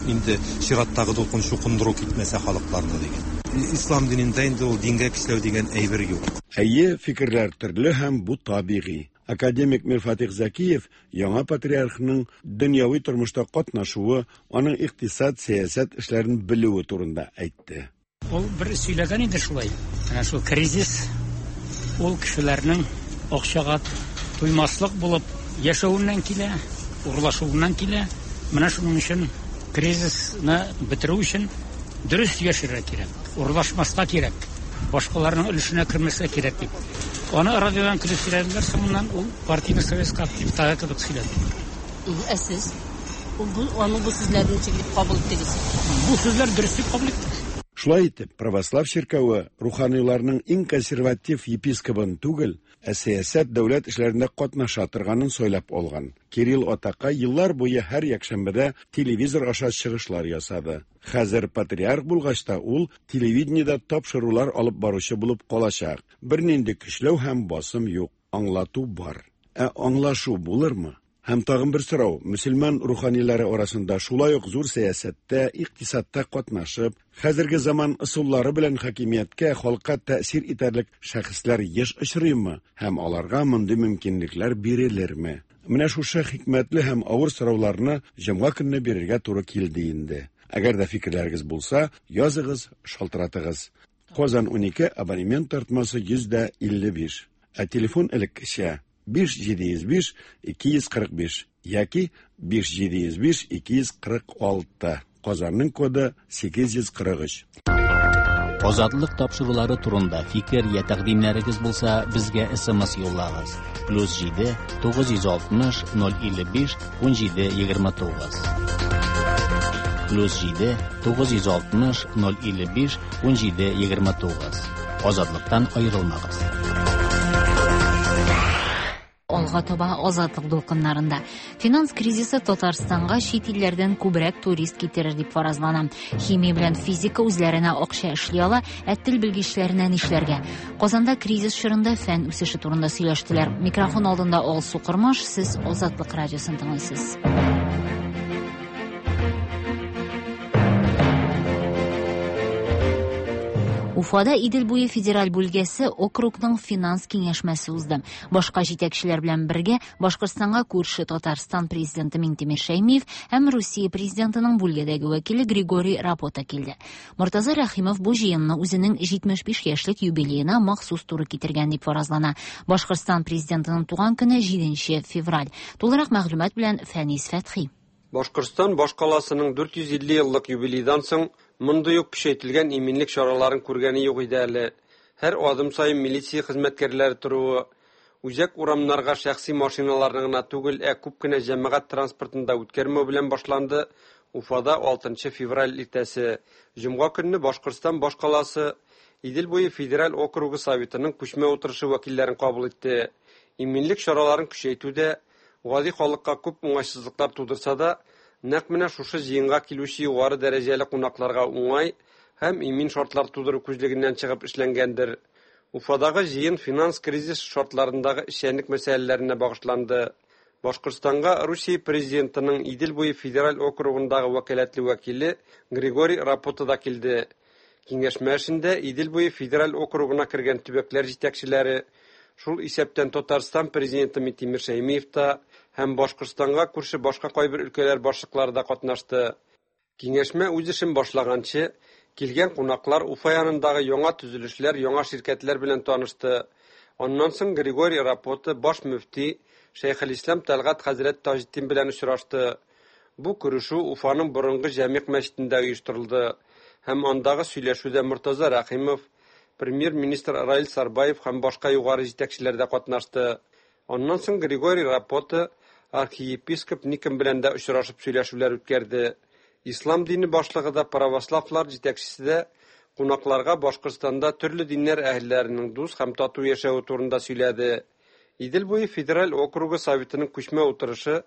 инде чираттагы дулкын чукындыру китмәсә халыкларны дигән. Ислам динендә инде ул дингә көчләү дигән әйбер юк. Әйе, фикерләр төрле һәм бу табигый. Академик Мирфатих Закиев яңа патриархның дөньяви тормышта катнашуы, аның икътисад, сәясәт эшләрен белүе турында әйтте. Ул бер сөйләгән иде шулай. Әнә шул кризис ул кешеләрнең акчага туймаслык булып яшәвеннән килә, урлашуыннан килә. Менә шуның өчен кризисны бетерү өчен дөрес яшәргә кирәк, урлашмаска кирәк, башкаларның өлешенә кермәскә кирәк дип. Аны радиодан килеп сөйләделәр, соңыннан ул партийный советка активтагы кебек сөйләде. Ә сез аның бу сүзләрен ничек дип кабул иттегез? Бу сүзләр дөрес дип кабул иттек. Шулай итеп, православ чиркәве руханиларның иң консерватив епискобын түгел, ә сәясәт дәүләт эшләрендә катнаша торганын сайлап алган. Кирилл атакай еллар буе һәр якшәмбедә телевизор аша чыгышлар ясады. Хәзер патриарх булгач та ул телевидениедә тапшырулар алып баручы булып калачак. Бернинди көчләү һәм басым юк, аңлату бар. Ә аңлашу булырмы? Һәм тагын бер сорау, мөселман руханилары арасында шулай ук зур сәясәттә, икътисадта катнашып, хәзерге заман ысуллары белән хакимияткә, халыкка тәэсир итәрлек шәхесләр еш очрыймы һәм аларга мондый мөмкинлекләр бирелерме? Менә шушы хикмәтле һәм авыр сорауларны җомга көнне бирергә туры килде инде. Әгәр дә фикерләрегез булса, языгыз, шалтыратыгыз. Казан унике абонемент тартмасы йөз дә илле биш. Ә телефон элеккечә биш җиде йөз биш ике йөз кырык биш яки биш җиде йөз биш ике йөз кырык алты. Казанның коды сигез йөз кырык өч. Азатлык тапшырулары турында фикер я тәкъдимнәрегез булса, безгә эс эм эс юллагыз. Плюс җиде тугыз йөз алтмыш ноль илле биш ун җиде егерме тугыз. Плюс җиде тугыз йөз алтмыш ноль илле биш ун җиде егерме тугыз. Азатлыктан аерылмагыз. Алга таба Азатлык дулкыннарында Финанс кризисы Татарстанга чит илләрдән күбрәк турист китерер дип фаразлана. Химия белән физика үзләренә акча эшли ала, ә тел белгечләренә нишләргә? Казанда кризис чорында фән үсеше турында сөйләштеләр. Микрофон алдында Алсу Кормаш, сез Азатлык радиосын тыңлыйсыз. Уфада Идел буе федераль бүлгәсе округның финанс киңәшмәсе узды. Башка җитәкчеләр белән бергә Башкортстанга күрше Татарстан президенты Минтимер Шәймиев һәм Русия президентының бүлгәдәге вәкиле Григорий Рапота килде. Мортаза Рәхимов бу җыенны үзенең җитмеш биш яшьлек юбилеена махсус туры китергән дип фаразлана. Башкортстан президентының туган көне җиденче февраль. Тулырак мәгълүмат белән Фәнис Фәтхи. Башкортстан башкаласының дүрт йөз илле еллык юбилейдан соң мондый ук көчәйтелгән иминлек чараларын күргәне юк иде әле. Һәр адым саен милиция хезмәткәрләре торуы, үзәк урамнарга шәхси машиналарны гына түгел, ә күп кенә җәмәгать транспортын да үткәрмәү белән башланды Уфада алтынчы февраль иртәсе. Җомга көнне Башкортстан башкаласы Идел буе федераль округы советының күчмә утырышы вәкилләрен кабул итте. Иминлек чараларын көчәйтүдә гади халыкка күп уңайсызлыклар тудырса да, нәкъ менә шушы җыенга килүче югары дәрәҗәле кунакларга уңай һәм имин шартлар тудыру күзлегеннән чыгып эшләнгәндер. Уфадагы җыен финанс кризис шартларындагы эшчәнлек мәсьәләләренә багышланды. Башкортстанга Русия президентының Идел буе федераль округындагы вәкаләтле вәкиле Григорий Рапота да килде. Киңәшмә эшендә Идел буе федераль округына кергән төбәкләр җитәкчеләре, шул исәптән Татарстан президенты Минтимер Шәймиев та һәм Башкортстанга күрше башка кайбер өлкәләр башлыклары да катнашты. Киңәшмә үз эшен башлаганчы, килгән кунаклар Уфа янындагы яңа төзелешләр, яңа ширкәтләр белән танышты. Аннан соң Григорий Рапота баш мөфти Шәйхелислам Тәлгать хәзрәт Таҗетдин белән очрашты. Бу күрешү Уфаның борынгы Җәмигъ мәчетендә оештырылды һәм андагы сөйләшүдә Мортаза Рәхимов, премьер-министр Раил Сарбаев һәм башка югары җитәкчеләр дә катнашты. Аннан соң Григорий Рапота архиепископ Никон белән дә очрашып сөйләшүләр үткәрде. Ислам дине башлыгы да, православлар җитәкчесе дә кунакларга Башкортстанда төрле диннәр әһелләренең дус һәм тату яшәве турында сөйләде. Идел буе федераль округы советының күчмә утырышы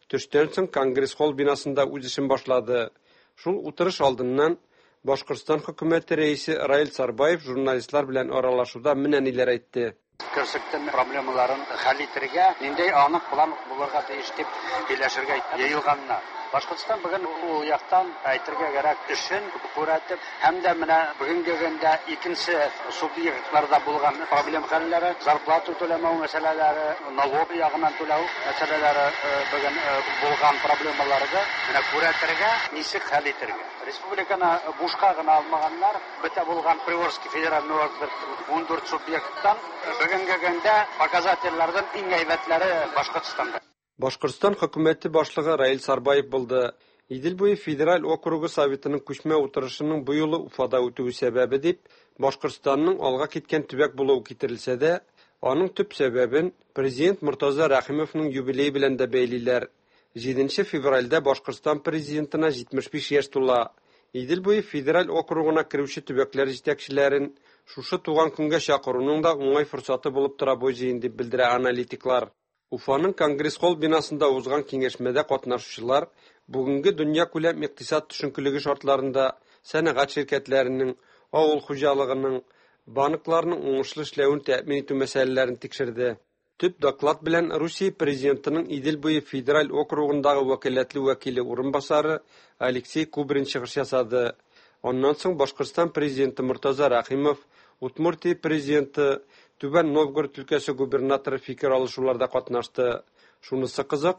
төштән соң Конгресс-холл бинасында үз эшен башлады. Шул утырыш алдыннан Башкортстан хөкүмәте рәисе Раил Сарбаев журналистлар белән аралашуда менә ниләр әйтте. Көрсектен проблемаларын хәл итәргә, ниндәй анык план булырга тиеш дип сөйләшергә йыелганнар. Башкортстан бүген ул яктан әйтергә кирәк эшен күрәтеп, һәм дә менә бүгенге көндә икенче субъектларда булган проблем хәлләре, зарплата түләмәү мәсьәләләре, налог ягыннан түләү мәсьәләләре бүген булган проблемаларны менә күрәтергә, ничек хәл итәргә. Республиканы бушка гына алмаганнар, бөтә булган Приволжский федеральный округ ун дүрт субъекттан бүгенге көндә показательләрдән иң әйбәтләре Башкортстанда. Башкортстан хөкүмәте башлыгы Раил Сарбаев булды. Идел буе федераль округы советының күчмә утырышының бу юлы Уфада үтүе сәбәбе дип, Башкортстанның алга киткән төбәк булуы китерелсә дә, аның төп сәбәбен президент Мортаза Рәхимовның юбилее белән дә бәйлиләр. җиденче февральдә Башкортстан президентына җитмеш биш яшь тула. Идел буе федераль округына керүче төбәкләр җитәкчеләрен шушы туган көнгә чакыруның да уңай форсаты булып тора бу җыен дип белдерә аналитиклар. Уфаның Конгресс-холл бинасында узган киңәшмәдә катнашучылар бүгенге дөнья күләм икътисад төшенкелеге шартларында сәнәгать ширкәтләренең, авыл хуҗалыгының, банкларның уңышлы эшләвен тәэмин итү мәсьәләләрен тикшерде. Төп доклад белән Русия президентының Идел буе федераль округындагы вәкаләтле вәкиле урынбасары Алексей Кубрин чыгыш ясады. Аннан соң Башкортстан президенты Мортаза Рәхимов, Удмуртия президенты, Түбән Новгород өлкәсе губернаторы фикер алышуларда катнашты. Шунысы кызык,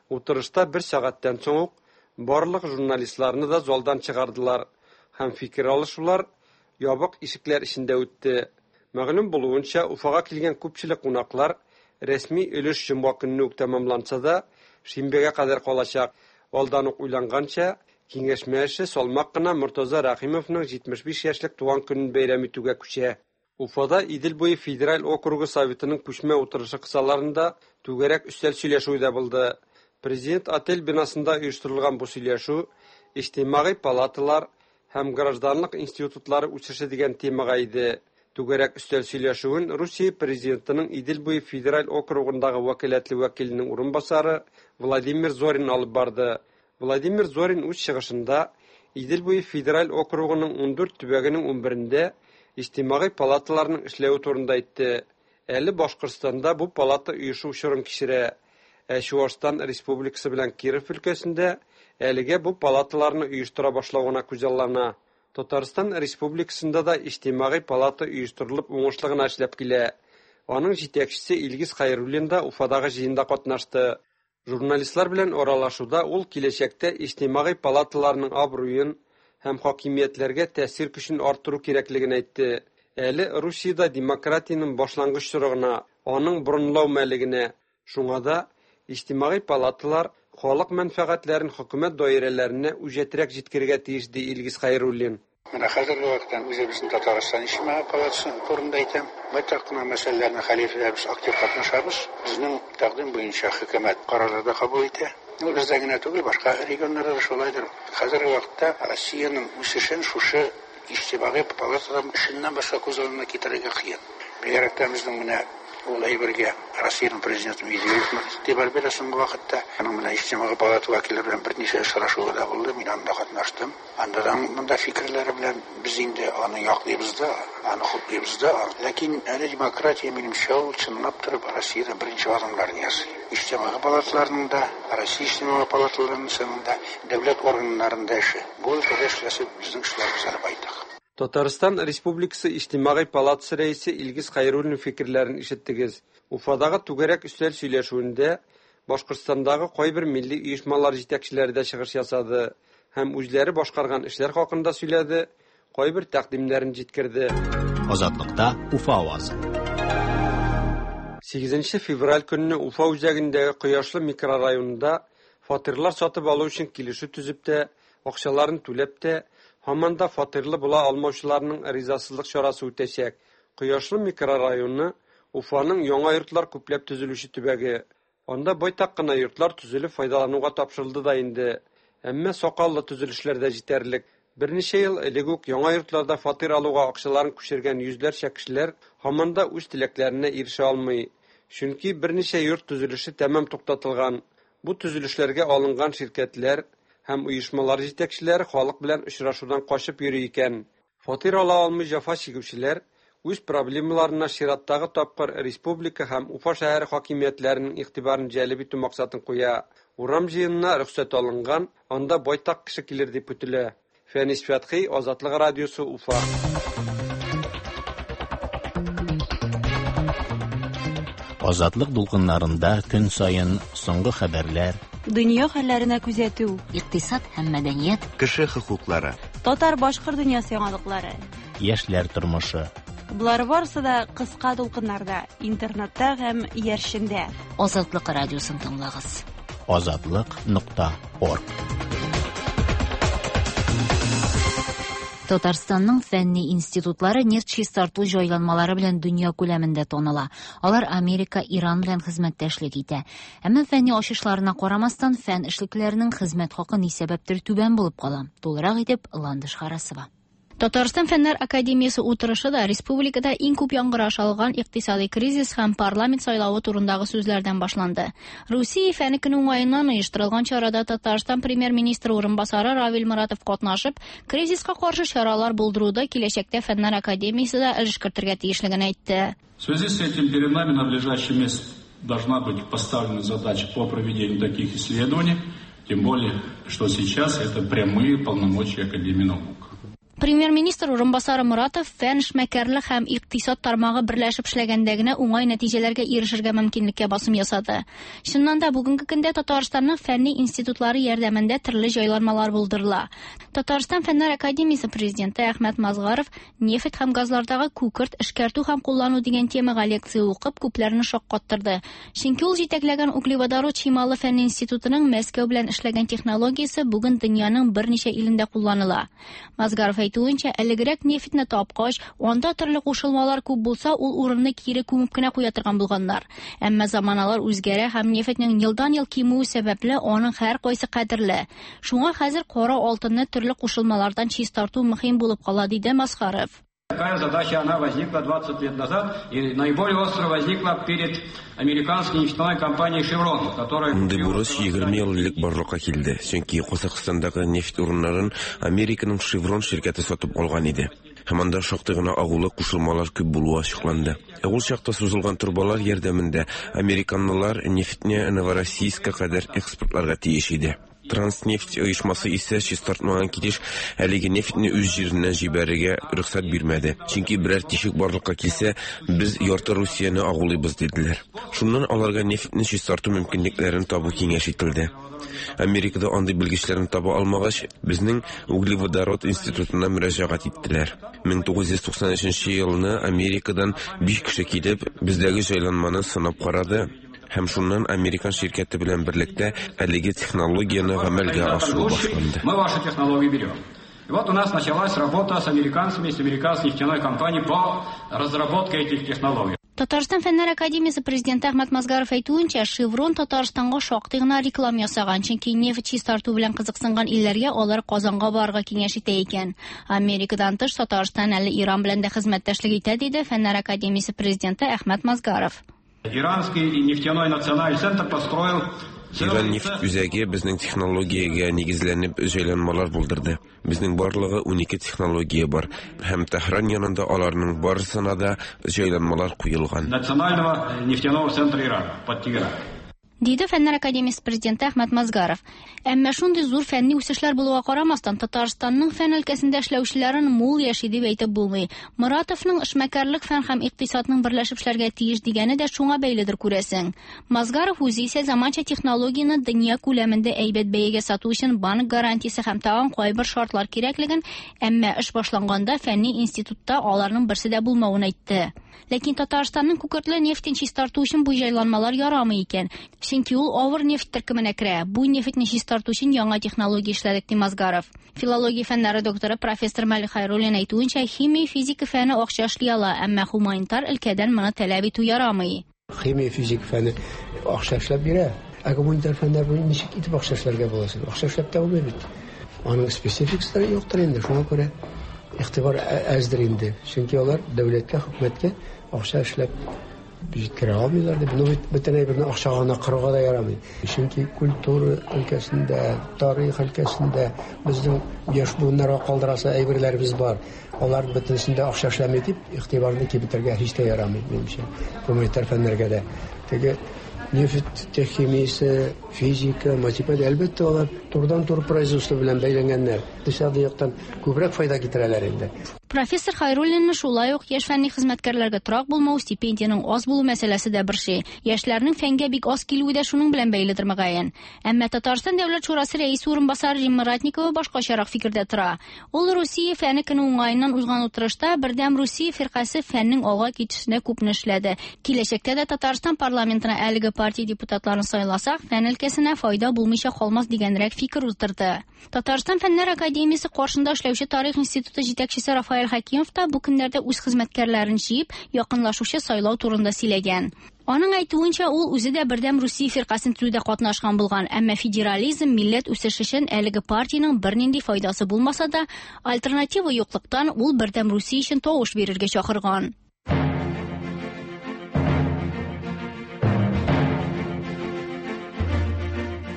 утырышта бер сәгатьтән соң ук барлык журналистларны да залдан чыгардылар һәм фикер алышулар ябык ишекләр эчендә үтте. Мәгълүм булуынча, Уфага килгән күпчелек кунаклар рәсми өлеш җомга көнне үк тәмамланса да, шимбәгә кадәр калачак. Алдан ук уйланганча, киңәшмә эше салмак кына Мортаза Рәхимовның җитмеш биш яшьлек туган көнен бәйрәм итүгә күчә. Уфада Идел буе федераль округы советының күчмә утырышы кысаларында түгәрәк өстәл сөйләшүе дә булды. Президент отель бинасында оештырылган бу сөйләшү иҗтимагый палаталар һәм гражданлык институтлары үсеше дигән темага иде. Түгәрәк өстәл сөйләшүен Русия президентының Идел буе федераль округындагы вәкаләтле вәкиленең урынбасары Владимир Зорин алып барды. Владимир Зорин үз чыгышында Идел буе федераль округының ундүрт төбәгенең унберендә иҗтимагый палаталарның эшләве турында әйтте. Әле Башкортстанда бу палата оешу чорын кичерә. Ә Чуашстан Республикасы белән Киров өлкәсендә әлегә бу палаталарны оештыра башлау гына күзаллана. Татарстан Республикасында да иҗтимагый палата оештырылып уңышлы гына эшләп килә. Аның җитәкчесе Илгиз Хәйруллин да Уфадагы җыенда катнашты. Журналистлар белән аралашуда ул киләчәктә иҗтимагый палаталарның абруен һәм хакимиятләргә тәэсир көчен арттыру кирәклеген әйтте. Әле Русиядә демократиянең башлангыч чоры гына, аның борынлау мәле генә. Шуңа да иҗтимагый палаталар халык мәнфәгатьләрен хөкүмәт даирәләренә үҗәтрәк җиткерергә тиеш, ди Илгиз Хәйруллин. Менә хәзерге вакытта үзебезнең Татарстан иҗтимагый палатасы турында әйтәм. Байтак кына мәсьәләләрне хәл итәбез, актив катнашабыз. Безнең тәкъдим буенча хөкүмәт карарлар да кабул итә. Ул бездә генә түгел, башка регионнарда да шулайдыр. Хәзерге вакытта Россиянең үсешен шушы иҗтимагый палатадан эшеннән башка күз алдына китерергә кыен. Бигрәк тә безнең менә ул әйбергә Россиянең президенты Медведев игътибар бирә соңгы вакытта. Аның менә иҗтимагый палата вәкилләре белән берничә очрашуы да булды, мин анда катнаштым. Анда да монда фикерләре белән без инде аны яклыйбыз да, аны хуплыйбыз да. Ләкин әле демократия минемчә ул чынлап торып Россиядә беренче адымнарны ясый. Иҗтимагый палаталарның да, Россия иҗтимагый палаталарының да, дәүләт органнарында эше. Бу өлкәдә эшләсе безнең эшләребез әле байтак. Татарстан Республикасы Иҗтимагый палатасы рәисе Илгиз Хәйруллин фикерләрен ишеттегез. Уфадагы түгәрәк өстәл сөйләшүендә Башкортстандагы кайбер милли оешмалар җитәкчеләре дә чыгыш ясады һәм үзләре башкарган эшләр хакында сөйләде, кайбер тәкъдимнәрен җиткерде. Азатлыкта Уфа авазы. Сигезенче февраль көнне Уфа үзәгендәге Кояшлы микрорайонында фатирлар сатып алу өчен килешү төзеп тә, акчаларын түләп тә, һаман да фатирлы була алмаучыларның ризасызлык чарасы үтәчәк. Кояшлы микрорайоны Уфаның яңа йортлар күпләп төзелүче төбәге. Анда байтак кына йортлар төзелеп файдалануга тапшырылды да инде. Әмма сакаллы төзелешләр дә җитәрлек. Берничә ел элек үк яңа йортларда фатир алуга акчаларын күчергән йөзләрчә кешеләр һаман да үз теләкләренә ирешә алмый. Чөнки берничә йорт төзелеше тәмам туктатылган. Бу төзелешләргә алынган ширкәтләр һәм оешмалар җитәкчеләре халык белән очрашудан качып йөри икән. Фатир ала алмый җәфа чигүчеләр үз проблемаларына чираттагы тапкыр республика һәм Уфа шәһәре хакимиятләренең игътибарын җәлеп итү максатын куя. Урам җыенына рөхсәт алынган, анда байтак кеше килер дип көтелә. Фәнис Фәтхи, Азатлык радиосы, Уфа. Азатлык дулкыннарында көн саен соңгы хәбәрләр, дөнья хәлләренә күзәтү, икътисад һәм мәдәният, кеше хокуклары, татар-башкорт дөньясы яңалыклары, яшьләр тормышы. Болар барысы да кыска дулкыннарда, интернетта һәм иярчендә. Азатлык радиосын тыңлагыз. Азатлык нокта орг. Татарстанның фәнни институтлары нефть чистарту җайланмалары белән дөнья күләмендә таныла. Алар Америка, Иран белән хезмәттәшлек итә. Әмма фәнни ачышларына карамастан, фән эшлекләренең хезмәт хакы ни сәбәптер түбән булып кала. Тулырак итеп Ландыш Харасова. Татарстан Фәннәр Академиясе утырышы да республикада иң күп яңгыраш алган икътисади кризис һәм парламент сайлавы турындагы сүзләрдән башланды. Русия фәне көне уңаеннан оештырылган чарада Татарстан премьер-министры урынбасары Равил Моратов катнашып, кризиска каршы чаралар булдыруда киләчәктә Фәннәр Академиясе дә өлеш кертергә тиешлеген әйтте. В связи с этим перед нами на ближайший месяц должна быть поставлена задача по проведению таких исследований, тем более, что сейчас это прямые полномочия Академии наук. Премьер-министр урынбасары Моратов фән, эшмәкәрлек һәм икътисад тармагы берләшеп эшләгәндә генә уңай нәтиҗәләргә ирешергә мөмкинлеккә басым ясады. Чыннан да бүгенге көндә Татарстанның фәнни институтлары ярдәмендә төрле җайланмалар булдырыла. Татарстан Фәннәр Академиясе президенты Әхмәт Мазгаров нефть һәм газлардагы күкерт эшкәртү һәм куллану дигән темага лекция укып күпләрне шаккаттырды. Чөнки ул җитәкләгән углеводород чималы фәнни институтының Мәскәү белән эшләгән технологиясе бүген дөньяның берничә илендә кулланыла. Мазгаров әйтүенчә, әлегрәк нефтьне тапкач, анда төрле кушылмалар күп булса, ул урынны кире күмеп кенә куя торган булганнар. Әмма заманалар үзгәрә һәм нефтьнең елдан-ел кимүе сәбәпле аның һәр кайсы кадерле. Шуңа хәзер кара алтынны төрле кушылмалардан чистарту мөһим булып кала, диде Мазгаров. Такая задача, она возникла двадцать лет назад и наиболее остро возникла перед американской нефтяной компанией «Шеврон», которая... Мондый бурыч егерме ел элек барлыкка килде, чөнки Казахстандагы нефть урыннарын Американың «Шеврон» ширкәте сатып алган иде. Һәм анда шактый гына агулы кушылмалар күп булуы ачыкланды. Ә ул чакта сузылган торбалар ярдәмендә американлылар нефтьне Новороссийскка кадәр экспортларга тиеш иде. Транснефть оешмасы исә чистартмаган килеш әлеге нефтьне үз җиреннән җибәрергә рөхсәт бирмәде. Чөнки берәр тишек барлыкка килсә, без ярты Русияне агулыйбыз диделәр. Шуннан аларга нефтьне чистарту мөмкинлекләрен табу киңәш ителде. Америкада андый белгечләрне таба алмагач, безнең углеводород институтына мөрәҗәгать иттеләр. мең тугыз йөз туксан өченче елны Америкадан биш кеше килеп, бездәге җайланманы сынап карады. Һәм шуннан американ ширкәте белән берлектә әлеге технологияне гамәлгә ашыру башланды. Мы ваши технологии берем. И вот у нас началась работа с американцами, с американской нефтяной компанией по разработке этих технологий. Татарстан Фәннәр академиясе президенты Әхмәт Мазгаров әйтүенчә, «Шеврон» Татарстанга шактый гына реклама ясаган, чөнки нефть чистарту белән кызыксынган илләргә алар Казанга барырга киңәш итә икән. Америкадан тыш Татарстан әле Иран белән дә хезмәттәшлек итә, диде Фәннәр академиясе президенты Әхмәт Мазгаров. Иранский нефтяной национальный центр построил Иран нефть үзәге безнең технологиягә нигезләнеп җайланмалар булдырды. Безнең барлыгы унике технология бар, һәм Тәһран янында аларның барысына да җайланмалар куелган. Национального нефтяного центра Ирана под Тегеран. Диде Фәннәр академиясе президенты Әхмәт Мазгаров. Әмма шундый зур фәнни үсешләр булуга карамастан, Татарстанның фән өлкәсендә эшләүчеләрен мул яши дип әйтеп булмый. Моратовның эшмәкәрлек фән һәм икътисадның берләшеп эшләргә тиеш дигәне дә шуңа бәйледер күрәсең. Мазгаров үзе исә заманча технологияне дөнья күләмендә әйбәт бәягә сату өчен банк гарантиясе һәм тагын кайбер шартлар кирәклеген, әмма эш башланганда фәнни институтта аларның берсе дә булмавын әйтте. Ләкин Татарстанның күкертле нефтен чистарту өчен бу җайланмалар ярамый икән. Чөнки ул авыр нефть төркеменә керә. Бу нефтьне чистарту өчен яңа технология эшләдек, ди Мазгаров. Филология фәннәре докторы профессор Мәлик Хайруллин әйтүенчә, химия, физика фәне акча эшли ала, әмма гуманитар өлкәдән моны таләп итү ярамый. Химия, физика фәне акча эшләп бирә. Ә гуманитар фәннәр буенча ничек итеп акча эшләргә була? Акча эшләп тә булмый бит. Аның спецификасы юктыр инде, шуңа күрә игътибар әздер инде. Чөнки алар дәүләткә, хөкүмәткә акча эшләп җиткерә алмыйлар дип. Ну бит бөтен әйберне акчага гына кырырга да ярамый. Чөнки культура өлкәсендә, тарих өлкәсендә безнең яшь буыннарга калдырасы әйберләребез бар. Алар бөтенесендә акча эшләми дип игътибарны киметергә һич тә ярамый, минемчә. Гуманитар фәннәргә дә. Теге нефть химиясе, физика, математика, әлбәттә, алар турыдан-туры производство белән бәйләнгәннәр. Икътисади яктан күбрәк файда китерәләр инде. Профессор Хайруллинны шулай ук яшь фәнни хезмәткәрләргә торак булмау, стипендиянең аз булу мәсьәләсе дә борчый. Яшьләрнең фәнгә бик аз килүе дә шуның белән бәйледер мөгаен. Әмма Татарстан Дәүләт Шурасы рәисе урынбасары Римма Ратникова башкачарак фикердә тора. Ул Русия фәне көне уңаеннан узган утырышта Бердәм Русия фиркасе фәннең алга китешенә күпне эшләде. Киләчәктә дә Татарстан парламентына әлеге партия депутатларын сайласак, фән өлкәсенә файда булмыйча калмас дигәнрәк фикер уздырды. Татарстан Фәннәр академиясе каршында эшләүче Тарих институты җитәкчесе Рафаэль Хакимов та бу көннәрдә үз хезмәткәрләрен җыеп, якынлашучы сайлау турында сөйләгән. Аның әйтүенчә, ул үзе дә Бердәм Русия фиркасын төзүдә катнашкан булган, әмма федерализм, милләт үсеше өчен әлеге партиянең бернинди файдасы булмаса да, альтернатива юклыктан ул Бердәм Русия өчен тавыш бирергә чакырган.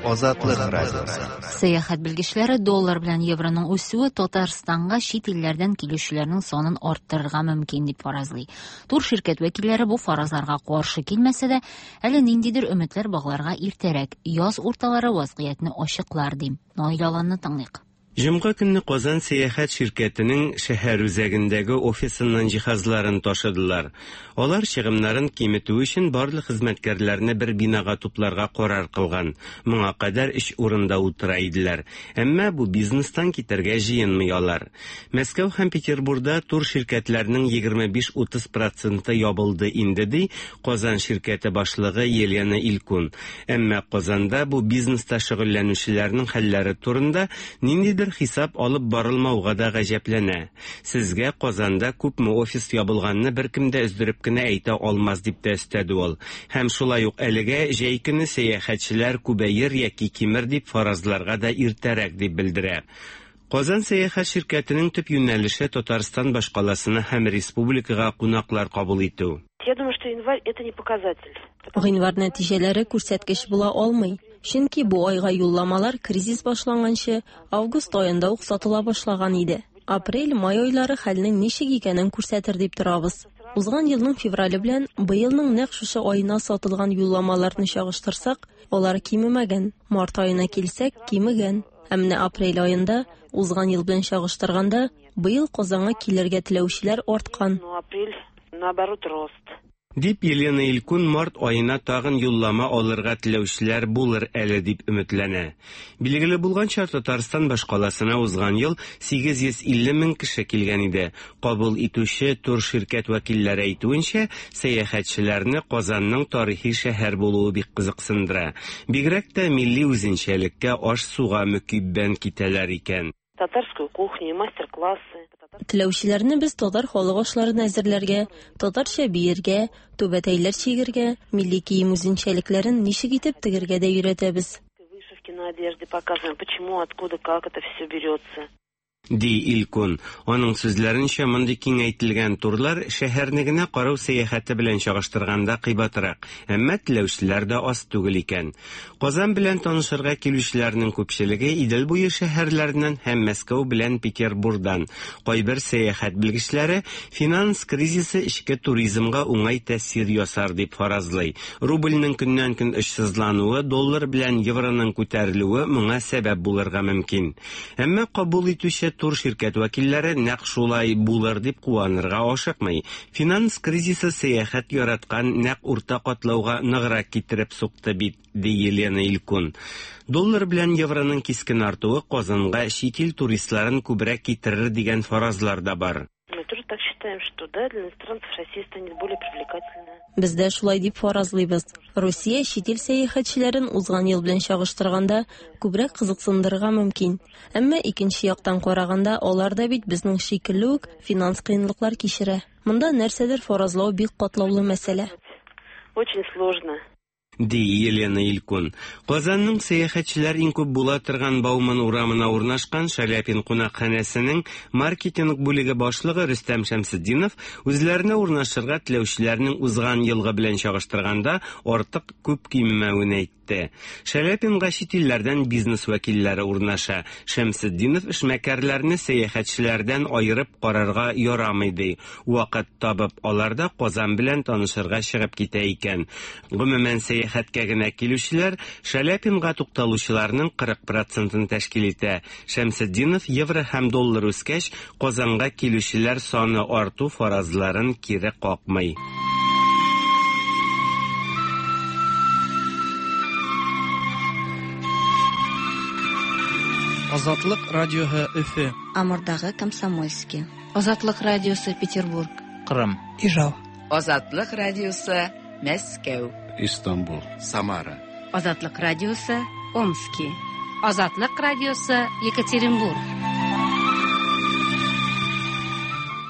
Азатлык радиосы. Сәяхәт белгечләре доллар белән евроның үсүе Татарстанга чит илләрдән килүчеләрнең санын арттырырга мөмкин дип фаразлый. Тур ширкәт вәкилләре бу фаразларга каршы килмәсә дә, әле ниндидер өметләр багларга иртәрәк, яз урталары вазгыятьне ачыклар ди. Наил Аланны тыңлыйк. Җомга көнне Казан сәяхәт ширкәтенең шәһәр үзәгендәге офисыннан җиһазларын ташыдылар. Алар чыгымнарын киметү өчен барлык хезмәткәрләрне бер бинага тупларга карар кылган. Моңа кадәр өч урында утыра иделәр. Әмма бу бизнестан китәргә җыенмый алар. Мәскәү һәм Петербурда тур ширкәтләренең егерме биш утыз проценты ябылды инде, ди Казан ширкәте башлыгы Елена Илкун. Әмма Казанда бу бизнеста шөгыльләнүчеләрнең хәлләре турында ниндидер хисап алып барылмауга да гаҗәпләнә. Сезгә Казанда күпме офис ябылганны беркем дә өздереп кенә әйтә алмас дип тә өстәде ул. Һәм шулай ук әлегә җәй көне сәяхәтчеләр күбәер яки кимер дип фаразларга да иртәрәк дип белдерә. Казан сәяхәт ширкәтенең төп юнәлеше Татарстан башкаласына һәм республикага кунаклар кабул итү. Я думаю, что январь это не показатель. Гыйнвар нәтиҗәләре күрсәткеч була алмый. Чөнки бу айга юлламалар кризис башланганчы август аенда ук сатыла башлаган иде. Апрель, май айлары хәлнең ничек икәнен күрсәтер дип торабыз. Узган елның феврале белән быелның нәкъ шушы аена сатылган юлламаларны чагыштырсак, алар кимемәгән. Март аена килсәк, кимегән. Ә менә апрель аенда узган ел белән чагыштырганда, быел Казанга килергә теләүчеләр арткан. Но апрель, наоборот, рост. Дип Елена Илькун март аена тагын юллама алырга теләүчеләр булыр әле дип өметләнә. Билгеле булганча, Татарстан башкаласына узган ел сигез йөз илле мең кеше килгән иде. Кабул итүче тур ширкәт вәкилләре әйтүенчә, сәяхәтчеләрне Казанның тарихи шәһәр булуы бик кызыксындыра. Бигрәк тә милли үзенчәлеккә, аш-суга мөкиббән китәләр икән. Татарскую кухню, мастер-классы. Теләүчеләрне без татар халык ашларын әзерләргә, татарча биергә, түбәтәйләр чигергә, милли кием үзенчәлекләрен ничек итеп тегергә дә өйрәтәбез. Вышивки на одежде показываем, почему, откуда, как это все берется. Ди Илькун. Аның сүзләренчә, мондый киңәйтелгән турлар шәһәрне генә карау сәяхәте белән чагыштырганда кыйбатрак, әмма теләүчеләр дә аз түгел икән. Казан белән танышырга килүчеләрнең күпчелеге Идел буе шәһәрләреннән һәм Мәскәү белән Петербургдан. Кайбер сәяхәт белгечләре финанс кризисы эчке туризмга уңай тәэсир ясар дип фаразлый. Рубльнең көннән-көн очсызлануы, доллар белән евроның күтәрелүе моңа сәбәп булырга мөмкин. Әмма кабул итүче тур ширкәт вәкилләре нәкъ шулай булыр дип куанырга ашыкмый. Финанс кризисы сәяхәт яраткан нәкъ урта катлауга ныграк китереп сукты бит, ди Елена Илькун. Доллар белән евроның кискен артуы Казанга чит ил туристларын күбрәк китерер дигән фаразлар да бар. Мы тоже так считаем, что да, для иностранцев Россия станет более привлекательной. Без дә шулай дип фаразлыйбыз. Русия чит ил сәяхәтчеләрен узган ел белән чагыштырганда күбрәк кызыксындырырга мөмкин. Әмма икенче яктан караганда, алар да бит безнең шикелле үк финанс кыенлыклар кичерә. Монда нәрсәдер фаразлау бик катлаулы мәсьәлә. Очень сложно. Ди Елена Илькун. Казанның сәяхәтчеләр иң күп була торган Бауман урамына урнашкан Шаляпин кунакханәсенең маркетинг бүлеге башлыгы Рөстәм Шәмсетдинов үзләренә урнашырга теләүчеләрнең узган елгы белән чагыштырганда артык күп кимемәвен әйтте. Шаляпинга чит илләрдән бизнес вәкилләре урнаша. Шәмсетдинов эшмәкәрләрне сәяхәтчеләрдән аерып карарга ярамый ди. Вакыт табып алар да Казан белән танышырга чыгып китә икән. Гомумән, сәяхәткә генә килүчеләр Шаляпинга тукталучыларның кырык процентын тәшкил итә. Шәмсетдинов евро һәм доллар үскәч, Казанга килүчеләр саны арту фаразларын кире какмый. Азатлык радиоһы Өфе. Амурдагы Комсомольский. Азатлык радиосы Петербург. Кырым. Ижау. Азатлык радиосы Мәскәү. Истанбул. Самара. Азатлык радиосы Омски. Азатлык радиосы Екатеринбург.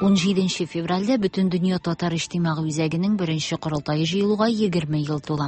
ун җиденче февральдә Бөтендөнья татар иҗтимагый үзәгенең беренче корылтае җыелуга егерме ел тула.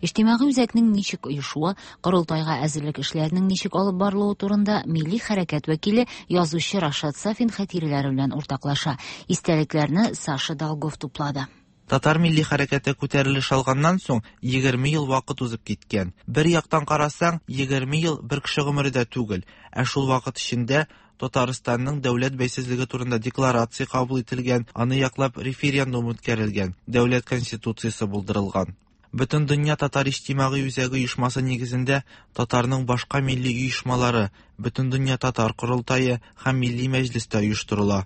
Иҗтимагый үзәкнең ничек оешуы, корылтайга әзерлек эшләренең ничек алып барылуы турында милли хәрәкәт вәкиле язучы Рашат Сафин хатирәләре белән уртаклаша. Истәлекләрне Саша Долгов туплады. Татар милли хәрәкәте күтәрелеш алганнан соң егерме ел вакыт узып киткән. Бер яктан карасаң, егерме ел бер кеше гомере дә түгел, ә шул вакыт эчендә Татарстанның дәүләт бәйсезлеге турында декларация кабул ителгән, аны яклап референдум үткәрелгән, дәүләт конституциясе булдырылган. Бөтендөнья татар иҗтимагый үзәге оешмасы нигезендә татарның башка милли оешмалары, Бөтендөнья татар корылтае һәм милли мәҗлес тә оештырыла.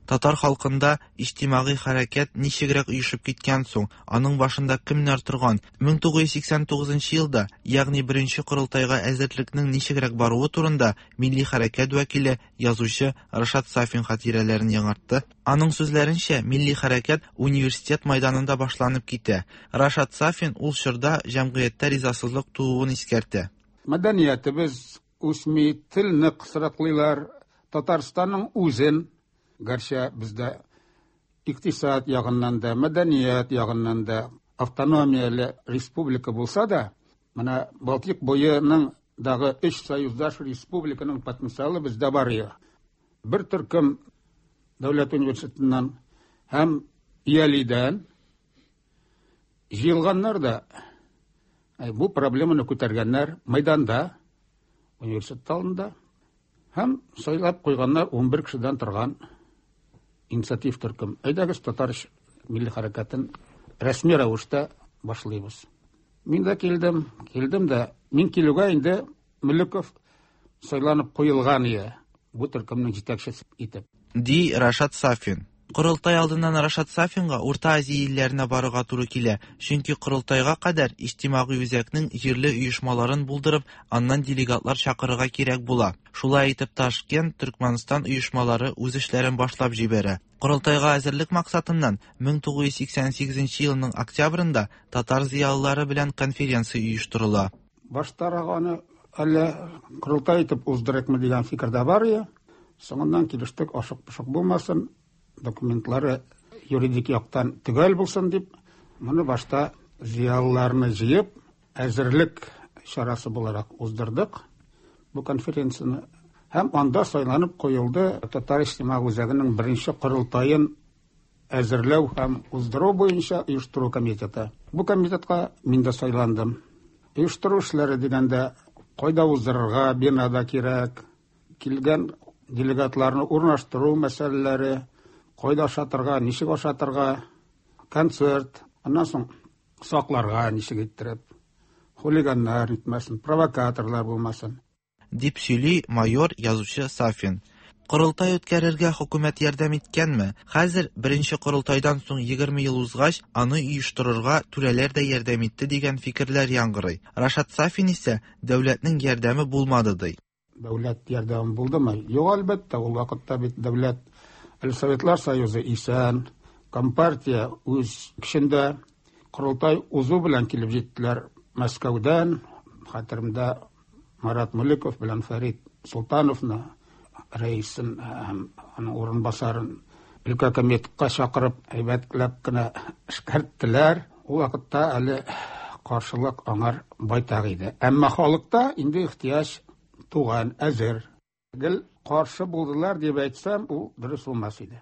Татар халкында иҗтимагый хәрәкәт ничегрәк оешып киткән соң, аның башында кемнәр торган? мең тугыз йөз сиксән тугызынчы елда, ягъни беренче корылтайга әзерлекнең ничегрәк баруы турында милли хәрәкәт вәкиле, язучы Рашат Сафин хатирәләрен яңартты. Аның сүзләренчә, милли хәрәкәт университет майданында башланып китә. Рашат Сафин ул чорда җәмгыятьтә ризасызлык тууын искәртә. Мәдәниятебез үсми, телне кысрыклыйлар, Татарстанның үзен, гәрчә бездә икътисад ягыннан да, мәдәният ягыннан да автономияле республика булса да, менә Балтыйк буеның Дагы өч союздаш республиканың потенциалы бездә бар иде. Бер төркем дәүләт университетыннан һәм ИЯЛИдән җыелганнар да бу проблеманы күтәргәннәр мәйданда, университет алдында һәм сайлап куйганнар ун бер кешедән торган инициатив төркем. Әйдәгез, татар милли хәрәкәтен рәсми рәвештә башлыйбыз. Мин дә килдем, килдем дә, мин килүгә инде Мөлеков сайланып куелган иде бу төркемнең җитәкчесе итеп. Ди Рашат Сафин. Корылтай алдыннан Рашат Сафинга Урта Азия илләренә барырга туры килә, чөнки корылтайга кадәр иҗтимагый үзәкнең җирле оешмаларын булдырып, аннан делегатлар чакырырга кирәк була. Шулай итеп Ташкент, Төркмәнстан оешмалары үз эшләрен башлап җибәрә. Корылтайга әзерлек максатыннан мең тугыз йөз сиксән сигезенче елның октябрендә татар зыялылары белән конференция оештырыла. Баштарак аны әллә корылтай итеп уздырыкмы дигән фикер дә бар иде. Соңыннан килештек, ашык-пошык булмасын, документлары юридик яктан төгәл булсын дип, моны башта зыялыларны җыеп, әзерлек чарасы буларак уздырдык бу конференцияне. Һәм анда сайланып куелды Татар иҗтимагый үзәгенең беренче корылтаен әзерләү һәм уздыру буенча оештыру комитеты. Бу комитетка мин дә сайландым. Оештыру эшләре дигәндә, кайда уздырырга, бинада кирәк, килгән делегатларны урнаштыру мәсьәләләре, кайда ашатырга, ничек ашатырга, концерт, аннан соң сакларга ничек иттереп, хулиганнар итмәсен, провокаторлар булмасын. Дип сөйли майор язучы Сафин. Корылтай үткәрергә хөкүмәт ярдәм иткәнме? Хәзер беренче корылтайдан соң егерме ел узгач, аны оештырырга түрәләр дә ярдәм итте дигән фикерләр яңгырый. Рашат Сафин исә дәүләтнең ярдәме булмады ди. Дәүләт ярдәме булдымы? Юк, әлбәттә, ул вакытта бит дәүләт әле Советлар Союзы исән, Компартия үз көчендә. Корылтай узу белән килеп җиттеләр Мәскәүдән, хәтеремдә Марат Мөлеков белән Фәрит Султановны, рәисен һәм аның урынбасарын өлкә комитетка чакырып, әйбәтләп кенә эшкәрттеләр. Ул вакытта әле каршылык аңар байтак иде. Әмма халыкта инде ихтыяҗ туган, әзер. Гел каршы булдылар дип әйтсәм, ул дөрес булмас иде.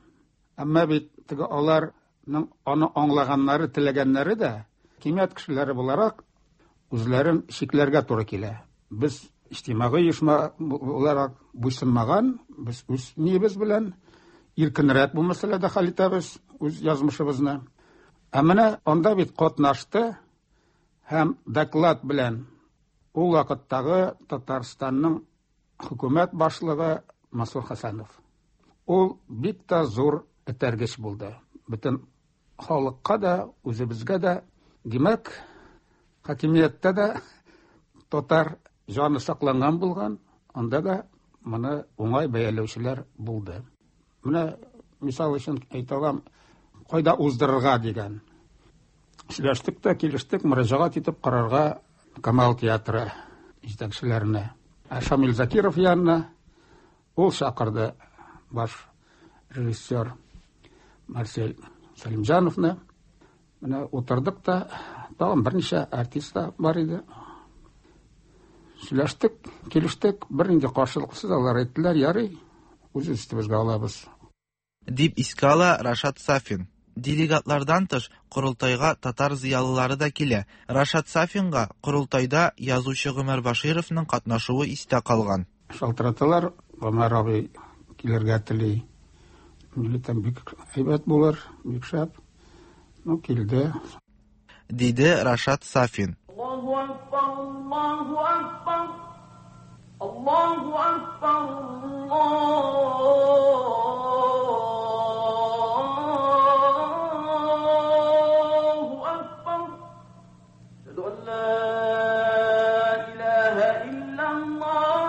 Әмма бит теге аларның аны аңлаганнары, теләгәннәре дә хакимият кешеләре буларак үзләрен чикләргә туры килә. Без иҗтимагый оешма буларак буйсынмаган, без үз ниебез белән иркенрәк бу мәсьәләдә хәл итәбез үз язмышыбызны. Ә менә анда бит катнашты һәм доклад белән ул вакыттагы Татарстанның хөкүмәт башлыгы Мансур Хәсәнов. Ул бик тә зур этәргеч булды. Бөтен халыкка да, үзебезгә дә, димәк, хакимияттә дә татар җаны сакланган булган, анда да моны уңай бәяләүчеләр булды. Менә мисал өчен әйтә алам, кайда уздырырга дигән. Сөйләштек тә, килештек, мөрәҗәгать итеп карарга Камал театры җитәкчеләренә. Ә Шамил Закиров янына ул чакырды баш режиссер Марсель Сәлимҗановны. Менә утырдык та, тагын берничә артист та бар иде. Сөйләштек, килештек, бернинди каршылыксыз алар әйттеләр, ярый, үз өстебезгә алабыз. Дип искә ала Рашат Сафин. Делегатлардан тыш корылтайга татар зыялылары да килә. Рашат Сафинга корылтайда язучы Гомәр Башировның катнашуы истә калган. Шалтыраталар, Гомәр абый килергә тели. Милләтем бик әйбәт булыр, бик шәп. Ну, килде. Диде Рашат Сафин. Аллаһу акбар, Аллаһу акбар, Аллаһу акбар, Аллаһу акбар. Әшһәду ан ла илаһа иллаллаһ.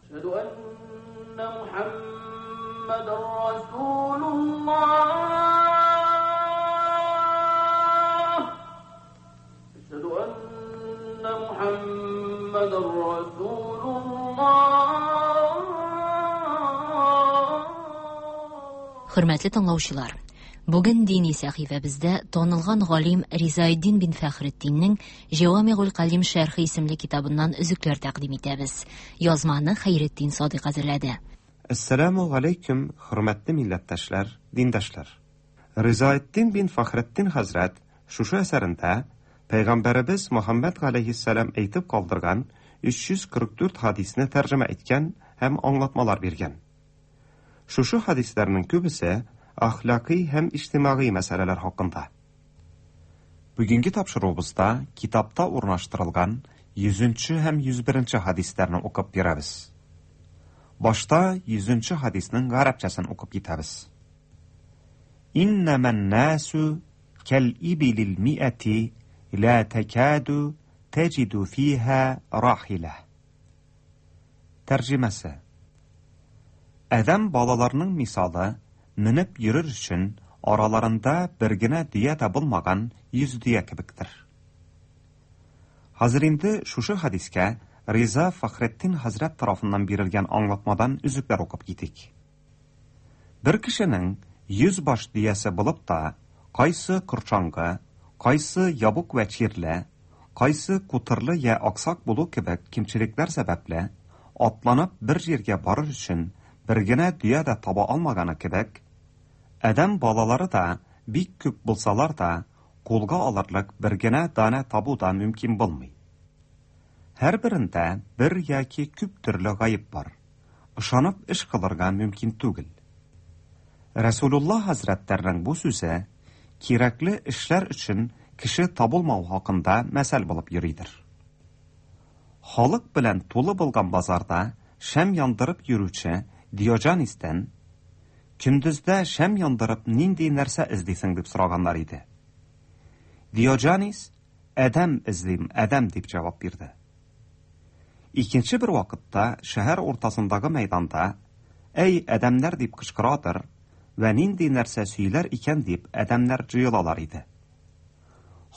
Әшһәду анна Мухаммадан расулуллаһ. Хөрмәтле тыңлаучылар, Бүген дини сәхифәбездә танылган галим Ризаэддин бин Фәхретдиннең Җавамигуль Калим шәрхе исемле китабыннан өзекләр тәкъдим итәбез. Язманы Хәйретдин Садыйк әзерләде. Әссәламү галәйкүм, хөрмәтле милләттәшләр, диндашлар. Ризаэддин бин Фәхретдин хәзрәт шушы әсәрендә Пәйгамбәребез Мөхәммәд галәйһиссәлам әйтеп калдырган өч йөз кырык дүрт хадисне тәрҗемә иткән һәм аңлатмалар биргән. Шушы хадисләрнең күбесе әхлакый һәм иҗтимагый мәсьәләләр хакында. Бүгенге тапшыруыбызда китапта урнаштырылган йөзенче һәм йөз беренче хадисләрне укып бирәбез. Башта йөзенче хадисның гарәпчәсен укып китәбез. Иннәмән насу кәл ибилил миәти ла такаду таҗиду фиһа рахила. Тәрҗемәсе: Адәм балаларының мисалы менеп йөрер өчен араларында бер генә дөя дә булмаган йөз дөя кебектер. Хәзер инде шушы хадискә Риза Фәхретдин хәзрәт тарафыннан бирелгән аңлатмадан өзекләр укып китик. Бер кешенең йөз баш дөясе булып та, кайсы корчаңгы, кайсы ябык вә чирле, кайсы кутырлы я аксак булу кебек кимчелекләр сәбәпле, атланып бер җиргә барыр өчен бер генә дөя дә таба алмаганы кебек, адәм балалары да бик күп булсалар да, кулга алырлык бер генә данә табу да мөмкин булмый. Һәрберендә бер яки күп төрле гаеп бар. Ышанып эш кылырга мөмкин түгел. Расулулла хәзрәтләренең бу сүзе кирәкле эшләр өчен кеше табылмау хакында мәсәл булып йөридер. Халык белән тулы булган базарда шәм яндырып йөрүче Диоҗанистән көндездә шәм яндырып нинди нәрсә эзлисең дип сораганнар иде. Диоҗанис адәм эзлим, адәм дип җавап бирде. Икенче бер вакытта шәһәр уртасындагы мәйданда "Әй адәмнәр" дип кычкырадыр вә нинди нәрсә сөйләр икән дип адәмнәр җыелалар иде.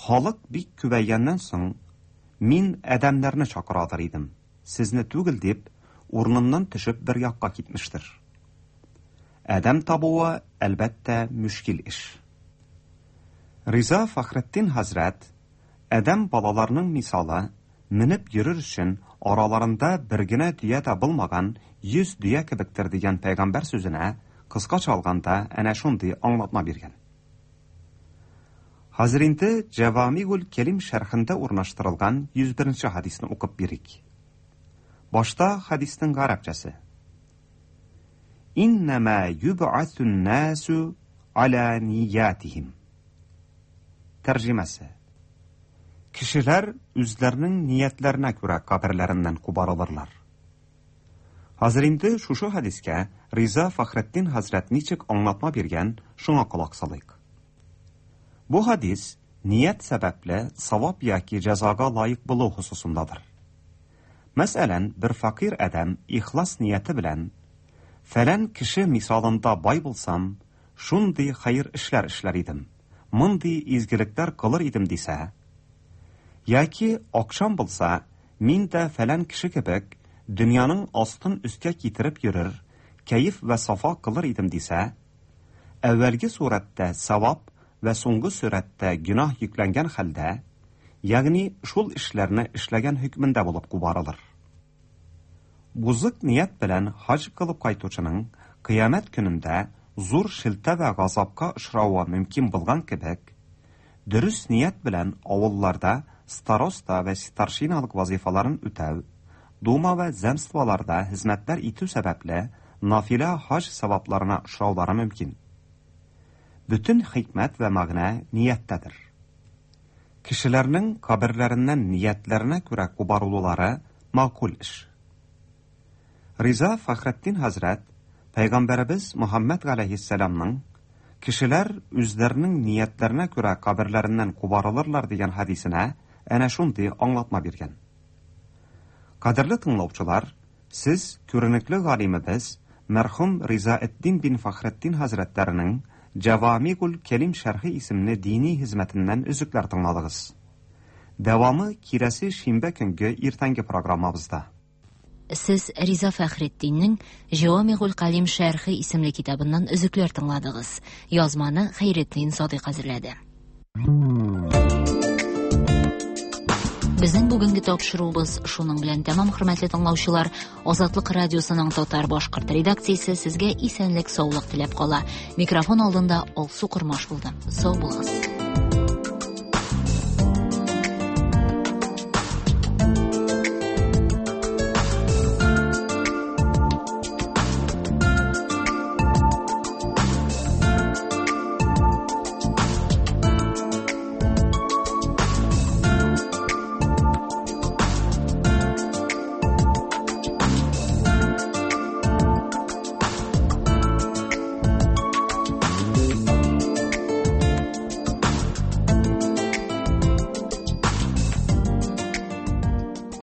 Халык бик күбәйгәннән соң "Мин адәмнәрне чакырадыр идем, сезне түгел" дип урыныннан төшеп бер якка китмештер. Адәм табуы, әлбәттә, мөшкил эш. Риза Фәхретдин хәзрәт адәм балаларының мисалы менеп йөрер өчен араларында бер генә дөя дә булмаган йөз дөя кебектер дигән пәйгамбәр сүзенә кыскача алганда әнә шундый аңлатма биргән. Хәзер инде Җавамигул Кәлим шәрхендә урнаштырылган йөз беренче хадисне укып бирик. Башта хадисның гарәпчәсе. Иннәмә юб'асун насу аля ниятихим. Тәрҗемәсе: Кешеләр үзләренең ниятләренә күрә каберләреннән кубарылырлар. Хәзер инде шушы хадискә Риза Фәхретдин хәзрәт ничек аңлатма биргән, шуңа колак салыйк. Бу хадис ният сәбәпле савап яки җәзага лаек булу хосусындадыр. Мәсәлән, бер фәкыйрь адәм ихлас нияте белән "Фәлән кеше мисалында бай булсам, шундый хәер эшләр эшләр идем, мондый изгелекләр кылыр идем" дисә, яки акчам булса, мин дә фәлән кеше кебек дөньяның астын өскә китереп йөрер, кәеф вә сафа кылыр идем дисә, әүвәлге сурәттә савап вә соңгы сурәттә гөнаһ йөкләнгән хәлдә, ягъни шул эшләрне эшләгән хөкмендә булып кубарылыр. Бузык ният белән хаҗ кылып кайтучының кыямәт көнендә зур шелтә вә газапка очравы мөмкин булган кебек, дөрес ният белән авылларда староста вә старшиналык вазифаларын үтәү, дума вә земстволарда хезмәтләр итү сәбәпле нафилә хаҗ савапларына очраулары мөмкин. Бөтен хикмәт вә мәгънә нияттәдер. Кешеләрнең каберләреннән ниятләренә күрә кубарылулары мәгъкуль эш. Риза Фәхретдин хәзрәт Пәйгамбәребез Мөхәммәд галәйһиссәламның кешеләр үзләренең ниятләренә күрә каберләреннән кубарылырлар дигән хадисенә әнә шундый аңлатма биргән. Кадерле тыңлаучылар, сез күренекле галимебез мәрхүм Ризаэддин бин Фәхретдин хәзрәтләренең Җавамигул Кәлим шәрхе исемле дини хезмәтеннән өзекләр тыңладыгыз. Дәвамы киләсе шимбә көнге иртәнге программабызда. Сез Риза Фәхретдиннең Җавамигуль Калим шәрхе исемле китабыннан өзекләр тыңладыгыз. Язманы Хәйретдин Садыйк әзерләде. Безнең бүгенге тапшыруыбыз шуның белән тәмам, хөрмәтле тыңлаучылар. Азатлык радиосының татар башкорт редакциясе сезгә исәнлек, саулык теләп кала. Микрофон алдында Алсу Кормаш булды. Сау булыгыз.